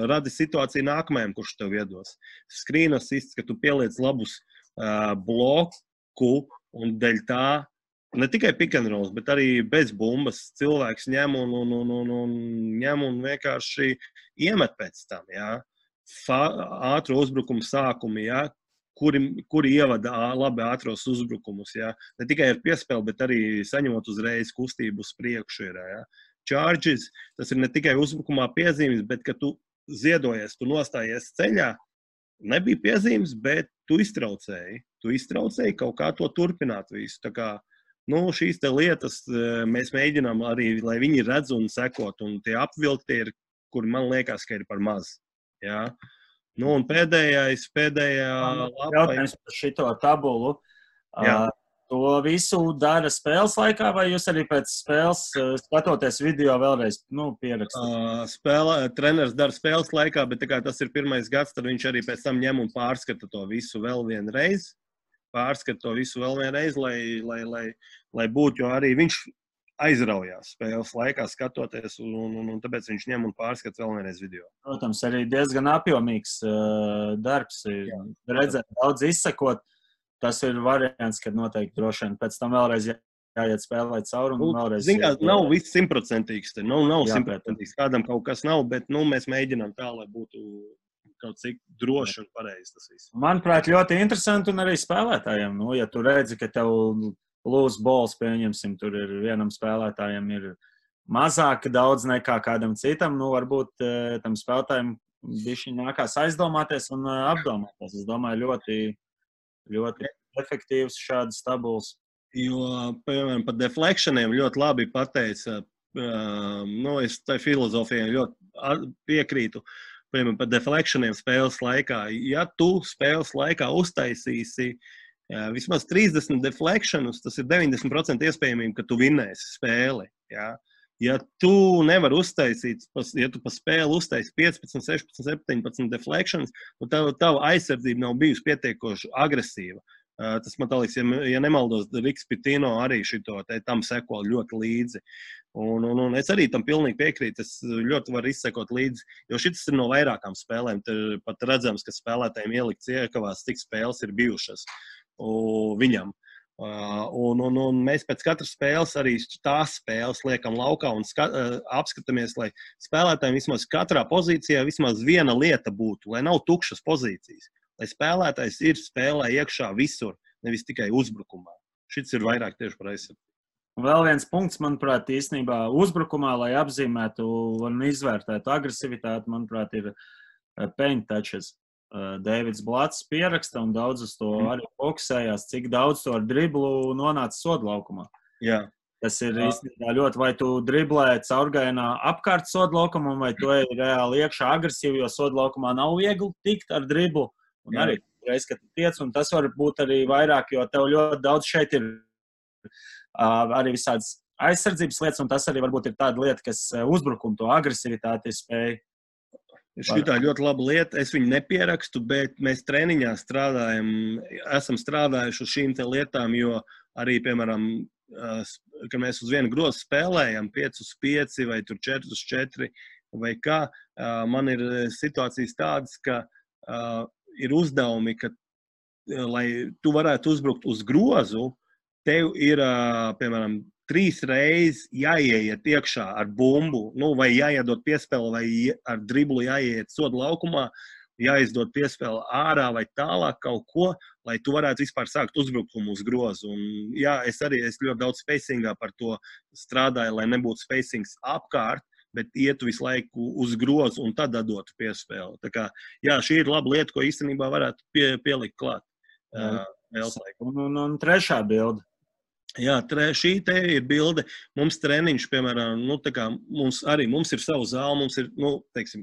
radi situāciju nākamajam, kurš tev iedos. Screen assists, ka tu pieliec labus bloku un dēļ tā, ne tikai pick and rolls, bet arī bez bumbas cilvēks ņem un vienkārši iemet pēc tam, jā. Ātro uzbrukumu sākumi, jā. Kuri ievada labi ātros uzbrukumus, jā. Ne tikai ar piespēli, bet arī saņemot uzreiz kustību uz priekšu ir, jā. charges, tas ir ne tikai uzbrukumā piezīmes, bet, ka tu ziedojies, tu nostājies ceļā, nebija piezīmes, bet tu iztraucēji. Tu iztraucēji kaut kā to turpināt visu. Tā kā, šīs te lietas mēs mēģinām arī, lai viņi redz un sekot, un tie apvilkti ir, kuri man liekas, ka ir par maz. Jā. Un pēdējā lapa. Jautājums par šito tabulu. To visu dara spēles laikā, vai jūs arī pēc spēles skatoties video vēlreiz pierakstat? Treneris dara spēles laikā, bet tā kā tas ir pirmais gads, tad viņš arī pēc tam ņem un pārskata to visu vēl vienreiz. Lai būtu, jo arī viņš aizraujās spēles laikā skatoties, un tāpēc viņš ņem un pārskata vēl vienreiz video. Protams, arī diezgan apjomīgs darbs. Redzēt, daudz izsekot. Tas ir variants, kad noteikti droši vien pēc tam vēlreiz jāiet spēlēt cauri un vēlreiz. Nav viss simtprocentīgs. Nav simtprocentīgs. Kādam kaut kas nav, bet mēs mēģinām tā, lai būtu kaut cik droši un pareizi tas viss. Manuprāt, ļoti interesanti un arī spēlētājiem. Ja tu redzi, ka tev loose balls, pieņemsim, tur ir vienam spēlētājam ir mazāk daudz nekā kādam citam, varbūt tam spēlētājiem bišķiņ nākās aizdomāties un apdomāties. Es domāju, ļoti efektīvs šādas tabulas. Jo, piemēram, par deflectioniem ļoti labi pateica, es tai filozofijai ļoti piekrītu, piemēram, par deflectioniem spēles laikā. Ja tu spēles laikā uztaisīsi vismaz 30 deflectionus, tas ir 90% iespējamība, ka tu vinnēsi spēli. Ja tu nevari uztaisīt, ja tu pa spēli uztaisi 15, 16, 17 deflections, tava aizsardzība nav bijusi pietiekoši agresīva. Tas man tā liekas, ja nemaldos, Riks Pitino arī tam seko ļoti līdzi. Un es arī tam pilnīgi piekrītu, es ļoti varu izsekot līdzi, jo šis ir no vairākām spēlēm. Pat redzams, ka spēlētājiem ielikts iekavās, cik spēles ir bijušas viņam. Un mēs pēc katras spēles arī tās spēles liekam laukā un apskatāmies, lai spēlētājiem vismaz katrā pozīcijā vismaz viena lieta būtu, lai nav tukšas pozīcijas. Lai spēlētājs ir spēlē iekšā visur, nevis tikai uzbrukumā. Šis ir vairāk tieši par aizsardzību. Vēl viens punkts, manuprāt, īstenībā uzbrukumā, lai apzīmētu un izvērtētu agresivitāti, manuprāt, ir paint touches. Deivids Blats pieraksta un daudz uz to arī fokusējās, cik daudz to ar driblu nonāca sodlaukumā. Jā. Tas ir īstenībā ļoti, vai tu driblē caurgaienā apkārt sodlaukumam, vai tu ej reāli iekšā agresīvi, jo sodlaukumā nav viegli tikt ar driblu. Un arī reiz, kad tu tiec, un tas var būt arī vairāk, jo tev ļoti daudz šeit ir arī visādas aizsardzības lietas, un tas arī varbūt ir tāda lieta, kas uzbrukumu to agresivitāti spēj. Šitā ļoti laba lieta. Es viņu nepierakstu, bet mēs treniņā esam strādājuši uz šīm te lietām, jo arī, piemēram, kad mēs uz vienu grozu spēlējam 5-5 vai 4-4 vai kā, man ir situācijas tādas, ka ir uzdevumi, ka, lai tu varētu uzbrukt uz grozu, tev ir, piemēram, 3 reizes jāieiet iekšā ar bumbu, vai jāiedod piespēle, vai ar driblu jāieiet soda laukumā, jāizdod piespēle ārā vai tālāk kaut ko, lai tu varētu vispār sākt uzbrukumu uz grozu. Un, es ļoti daudz spacingā par to strādāju, lai nebūtu spacings apkārt, bet ietu visu laiku uz grozu un tad dotu piespēli. Tā kā, šī ir laba lieta, ko īstenībā varētu pielikt klāt. Un trešā bilde. Šī te ir bilde. Mums treniņš, piemēram, mums ir savu zāli, mums ir,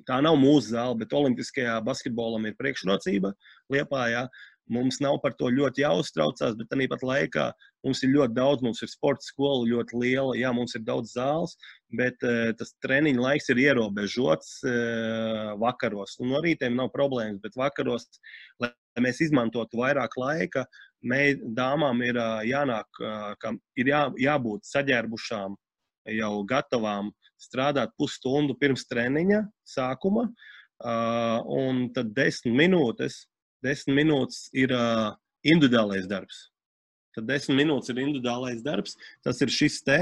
tā nav mūsu zāle, bet olimpiskajā basketbolam ir priekšrocība Liepājā. Mums nav par to ļoti jāuztraucās, bet tāpat laikā mums ir ļoti daudz, mums ir sporta skola ļoti liela, mums ir daudz zāles, bet tas treniņa laiks ir ierobežots vakaros. Un no rītiem nav problēmas, bet vakaros, lai mēs izmantotu vairāk laika, dāmām ir jānāk, ir jābūt saģērbušām, jau gatavām strādāt pusstundu pirms treniņa sākuma, un tad 10 minūtes ir individuālais darbs. Tad 10 minūtes ir individuālais darbs. Tas ir šis te,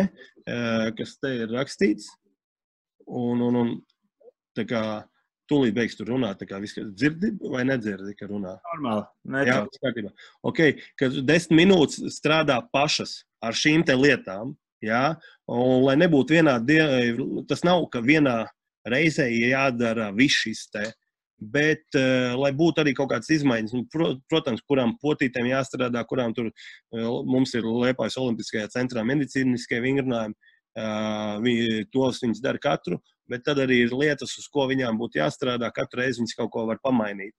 kas te ir rakstīts. Un tā kā tūlīt beigs tur runāt, tā kā viss dzirdi vai nedzirdi, ka runā? Normāli. Jā, kārtībā. Ok, kad 10 minūtes strādā pašas ar šīm te lietām, Jā? Un lai nebūtu tas nav, ka vienā reizē jādara viss šis te, bet lai būtu arī kaut kādas izmaiņas, protams, kurām potītēm jāstrādā, kurām tur mums ir Liepājas Olimpiskajā centrā medicīniskie vingrinājumi, tos viņas dara katru, bet tad arī ir lietas, uz ko viņām būtu jāstrādā, katru reizi viņas kaut ko var pamainīt.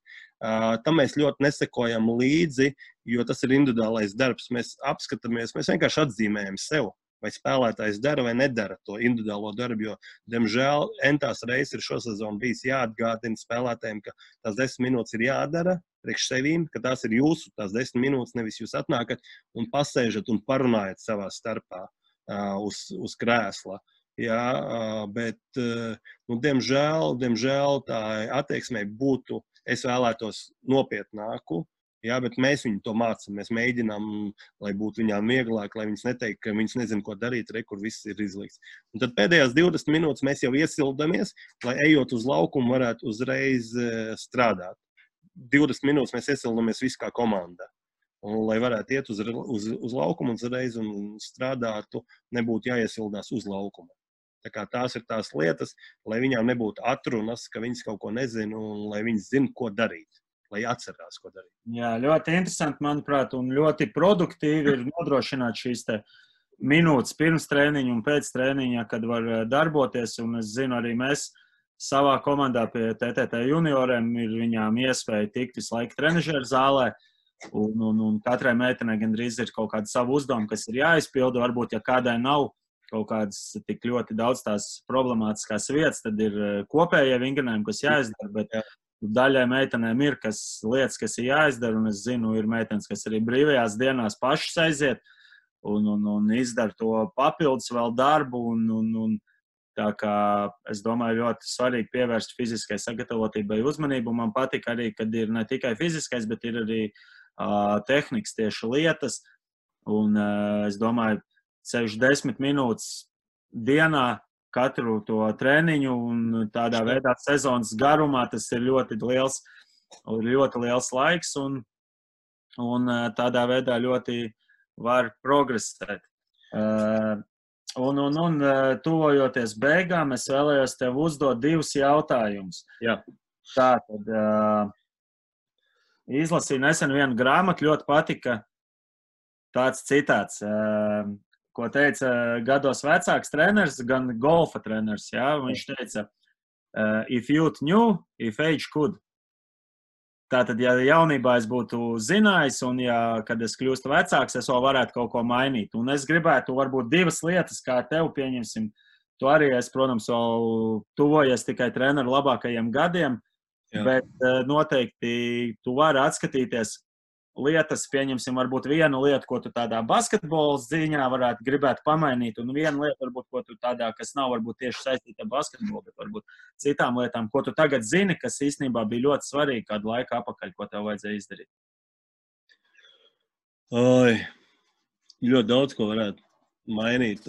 Tam mēs ļoti nesekojam līdzi, jo tas ir individuālais darbs. Mēs apskatāmies, mēs vienkārši atzīmējam sev, vai spēlētājs dara vai nedara to individuālo darbu, jo, diemžēl, entās reizes ir šosezon bijis jāatgādina spēlētājiem, ka tās 10 minūtes ir jādara priekš sevīm, ka tās ir jūsu, tās 10 minūtes, nevis jūs atnākat un pasēžat un parunājat savā starpā uz krēsla. Jā, bet, diemžēl tā attieksmē būtu, es vēlētos nopietnāku, jā, bet mēs viņu to mācam, mēs mēģinām, lai būtu viņām vieglāk, lai viņas neteiktu, ka viņas nezin, ko darīt, kur viss ir izlikts. Un tad pēdējās 20 minūtes mēs jau iesildamies, lai ejot uz laukumu varētu uzreiz strādāt. 20 minūtes mēs iesildamies visi kā komanda. Un, lai varētu iet uz laukumu uzreiz un strādātu, nebūtu jāiesildās uz laukumu. Tā kā tās ir tās lietas, lai viņām nebūtu atrunas, ka viņas kaut ko nezina un lai viņas zina, ko darīt. Lai atcerās, ko darīt. Jā, ļoti interesanti, manuprāt, un ļoti produktīvi ir nodrošināt šīs te minūtes pirms trēniņa un pēc trēniņa, kad var darboties, un es zinu, arī mēs savā komandā pie TTT junioriem ir viņām iespēja tikt visu laiku trenažeru zālē, un katrai meitenei gandrīz ir kaut kāda sava uzdevuma, kas ir jāizpilda, varbūt, ja kādai nav kaut kādas tik ļoti daudz tās problemātiskās vietas, tad ir kopējie vingrinājumi, kas jāizdara, bet daļai meitenēm ir lietas, kas ir jāizdara, un es zinu, ir meitenes, kas arī brīvajās dienās pašas aiziet un izdara to papildus vēl darbu, un tā kā es domāju, ļoti svarīgi pievērst fiziskai sagatavotībai uzmanību. Man patīk arī, kad ir ne tikai fiziskais, bet ir arī tehnikas tieši lietas, un es domāju, 10 minūtes dienā katru to trēniņu, un tādā veidā sezonas garumā tas ir ļoti liels laiks, un tādā veidā ļoti var progresēt. Un tuvojoties beigām, es vēlējos tev uzdot 2 jautājumus. Jā. Tātad izlasīju nesen vienu grāmatu, ļoti patika tāds citāts, ko teica gados vecāks treneris, gan golfa treneris. Jā? Viņš teica, if youth knew, if age could. Tātad, ja jaunībā es būtu zinājis, un kad es kļūstu vecāks, es vēl varētu kaut ko mainīt. Un es gribētu varbūt 2 lietas, kā tev pieņemsim. Tu arī es, protams, vēl tuvojies tikai treneru labākajiem gadiem, bet noteikti tu vari atskatīties lietas, pieņemsim, varbūt vienu lietu, ko tu tādā basketbola ziņā varētu gribēt pamainīt, un vienu lietu, varbūt, ko tu tādā, kas nav varbūt tieši saistīta ar basketbolu, bet varbūt citām lietām, ko tu tagad zini, kas īstenībā bija ļoti svarīgi kādu laiku apakaļ, ko tev vajadzēja izdarīt. Ļoti daudz, ko varētu mainīt.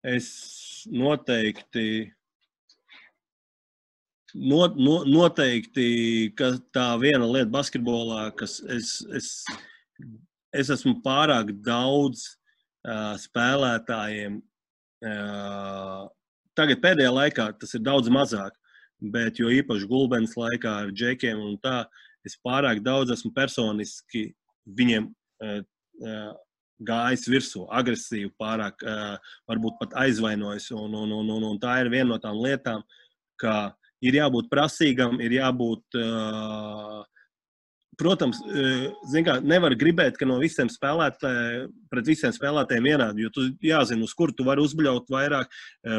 Es noteikti, ka tā viena lieta basketbolā, kas es esmu pārāk daudz spēlētājiem. Tagad pēdējā laikā tas ir daudz mazāk, bet jo īpaši Gulbens laikā ar džekiem un tā, es pārāk daudz esmu personiski viņiem gājis virsū, agresīvi, pārāk varbūt pat aizvainojis. Un tā ir viena no tām lietām, ka ir jābūt prasīgam, ir jābūt, protams, nevar gribēt, ka no visiem pret visiem spēlētājiem vienādi, jo tu jāzina, uz kur tu vari uzbļaut vairāk,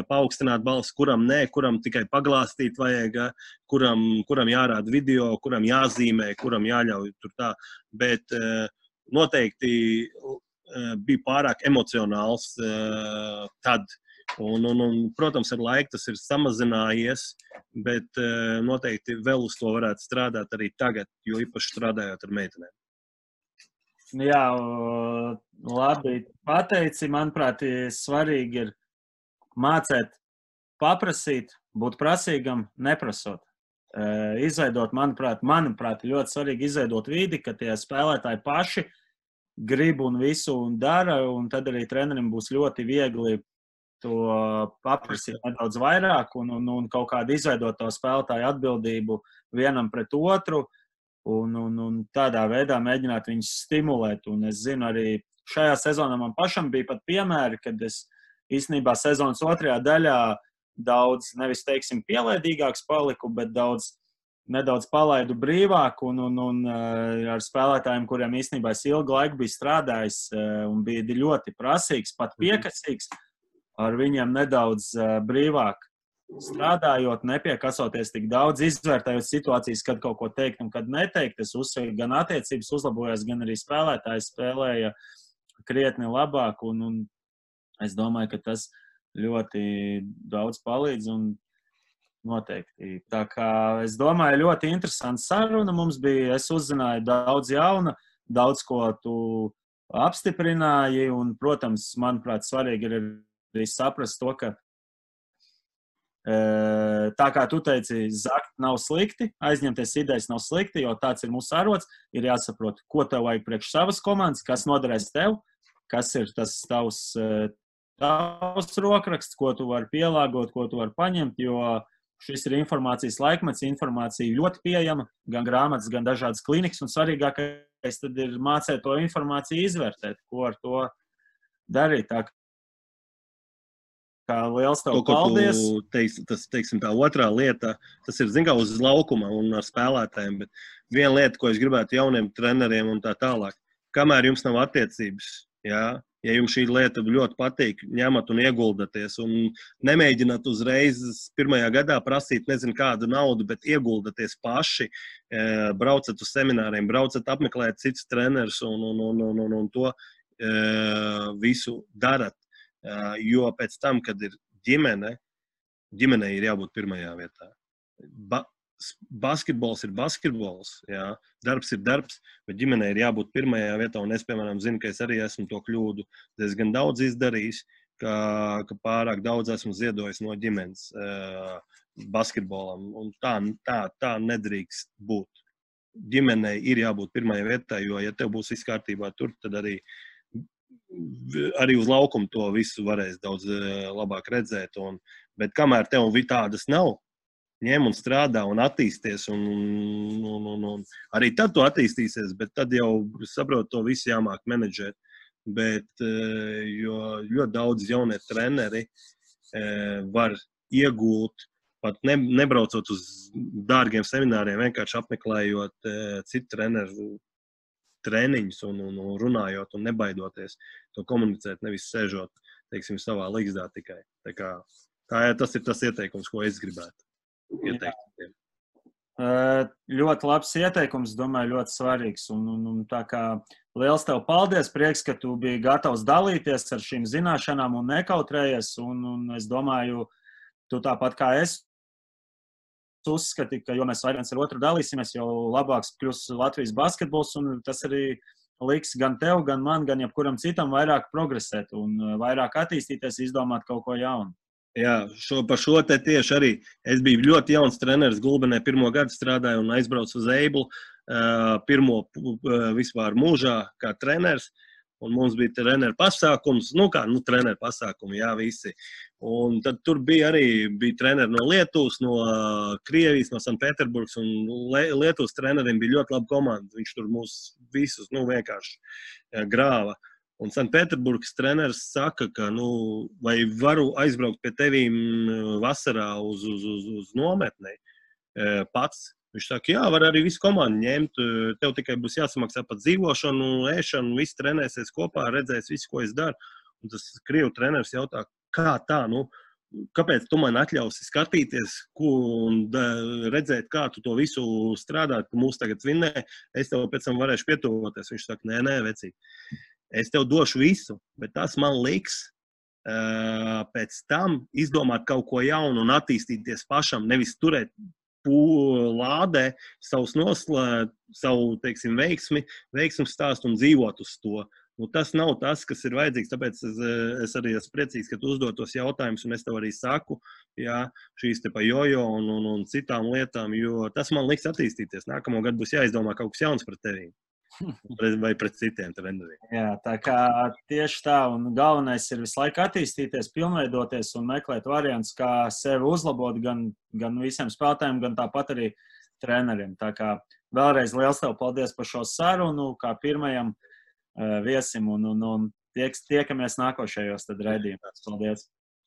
paaugstināt balsi, kuram nē, kuram tikai paglāstīt vajag, kuram jārāda video, kuram jāzīmē, kuram jāļauj tur tā, bet noteikti bija pārāk emocionāls tad. Un, protams, ar laiku tas ir samazinājies, bet noteikti vēl uz to varētu strādāt arī tagad, jo īpaši strādājot ar meitenēm. Jā, labi pateici. Manuprāt, svarīgi ir mācēt, paprasīt, būt prasīgam, neprasot. Izveidot, manuprāt, ļoti svarīgi izveidot vidi, ka tie spēlētāji paši grib un visu un dara, un tad arī trenerim būs ļoti viegli to paprasīt nedaudz vairāk un kaut kādu izveidot to spēlētāju atbildību vienam pret otru un tādā veidā mēģināt viņus stimulēt. Un es zinu, arī šajā sezonā man pašam bija pat piemēri, kad es īstenībā sezonas otrajā daļā daudz, nevis teiksim, pielaidīgāks paliku, bet nedaudz palaidu brīvāk un ar spēlētājiem, kuriem īstenībā es ilgu laiku biju strādājis un bija ļoti prasīgs, pat piekasīgs, ar viņiem nedaudz brīvāk strādājot, nepiekasoties tik daudz, izvērtējot situācijas, kad kaut ko teikt un kad neteikt. Es uzsveru, gan attiecības uzlabojās, gan arī spēlētāji spēlēja krietni labāk un es domāju, ka tas ļoti daudz palīdz un noteikti. Tā kā es domāju, ļoti interesanta saruna mums bija. Es uzzināju daudz jauna, daudz ko tu apstiprināji un, protams, manuprāt, svarīgi ir arī saprast to, ka tā kā tu teici, zakt nav slikti, aizņemties idejas nav slikti, jo tāds ir mūsu arots. Ir jāsaprot, ko tev vajag priekš savas komandas, kas noderēs tev, kas ir tas tavs rokraksts, ko tu vari pielāgot, ko tu vari paņemt, jo šis ir informācijas laikmets, informācija ļoti pieejama, gan grāmatas, gan dažādas klinikas, un svarīgākais tad ir mācīt to informāciju izvērtēt, ko ar to darīt. Tā kā liels tev paldies. Teiksim, tā otrā lieta, tas ir, zin kā, uz laukuma un ar spēlētājiem, bet viena lieta, ko es gribētu jauniem treneriem un tā tālāk, kamēr jums nav attiecības, ja jums šī lieta ļoti patīk, ņemat un ieguldaties un nemēģināt uzreiz pirmajā gadā prasīt nezinu kādu naudu, bet ieguldaties paši, braucat uz semināriem, braucat apmeklēt citus trenerus un to visu darat. Jo pēc tam, kad ir ģimenei ir jābūt pirmajā vietā. Basketbols ir basketbols, jā, darbs ir darbs, bet ģimenei ir jābūt pirmajā vietā, un es, piemēram, zinu, ka es arī esmu to kļūdu diezgan daudz izdarījis, ka pārāk daudz esmu ziedojis no ģimenes basketbolam, un tā nedrīkst būt. Ģimenei ir jābūt pirmajā vietā, jo, ja tev būs viss kārtībā tur, tad arī uz laukumu to visu varēs daudz labāk redzēt. Bet kamēr tev tādas nav, ņem un strādā un attīsties, un arī tad tu attīstīsies, bet tad jau saprot to visu jāmāk menedžēt. Bet jo ļoti daudz jaunie treneri var iegūt, pat nebraucot uz dārgiem semināriem, vienkārši apmeklējot citu treneru treniņus un runājot un nebaidoties to komunicēt, nevis sēžot, teiksim, savā līgzdā tikai. Tas ir tas ieteikums, ko es gribētu ieteikt. Ļoti labs ieteikums, domāju, ļoti svarīgs. Un tā kā liels tev paldies, prieks, ka tu biji gatavs dalīties ar šīm zināšanām un nekautrējies. Un es domāju, tu tāpat kā es uzskati, ka, jo mēs viens ar otru dalīsimies, jau labāks kļūs Latvijas basketbols, un tas arī liks gan tev, gan man, gan jebkuram citam vairāk progresēt un vairāk attīstīties, izdomāt kaut ko jaunu. Jā, par šo te tieši arī. Es biju ļoti jauns treneris Gulbenē, 1. gadu strādāju un aizbraucu uz Eiblu, pirmo vispār mūžā kā treneris. Un mums bija treneru pasākums, treneru pasākumi, jā, visi. Un tad tur bija treneri no Lietuvas, no Krievijas, no Sanpēterburgas, un Lietuvas treneriem bija ļoti laba komanda. Viņš tur mūs visus, vienkārši grāva. Un Sanpēterburgas treneris saka, ka, vai varu aizbraukt pie tevīm vasarā uz nometnei pats. Viņš saka, jā, var arī visu komandu ņemt, tev tikai būs jāsamaksā pat dzīvošanu, ēšanu, viss trenēsies kopā, redzēs visu, ko es daru. Un tas Krievu treneris jautā, kā tā, kāpēc tu man atļausi skatīties un redzēt, kā tu to visu strādāt, ka mūs tagad vinnē, es tev pēc tam varēšu pietuvoties. Viņš saka, nē, vecīt, es tev došu visu, bet tas man liks pēc tam izdomāt kaut ko jaunu un attīstīties pašam, nevis turēt lādē savu, teiksim, veiksmu stāstu un dzīvot uz to. Tas nav tas, kas ir vajadzīgs, tāpēc es arī esmu priecīgs, ka tu uzdod tos jautājumus, un es tev arī saku, jā, šīs te pa jojo un citām lietām, jo tas man liks attīstīties. Nākamo gadu būs jāizdomā kaut kas jauns par tevīm. vai pret citiem treneriem. Jā, tā kā tieši tā, un galvenais ir visu laiku attīstīties, pilnveidoties un meklēt variantus, kā sevi uzlabot gan visiem spēlētājiem, gan tāpat arī treneriem. Tā kā vēlreiz liels tev paldies par šo sarunu, kā pirmajam viesim, un tiekamies nākošajos tad raidījumos. Paldies!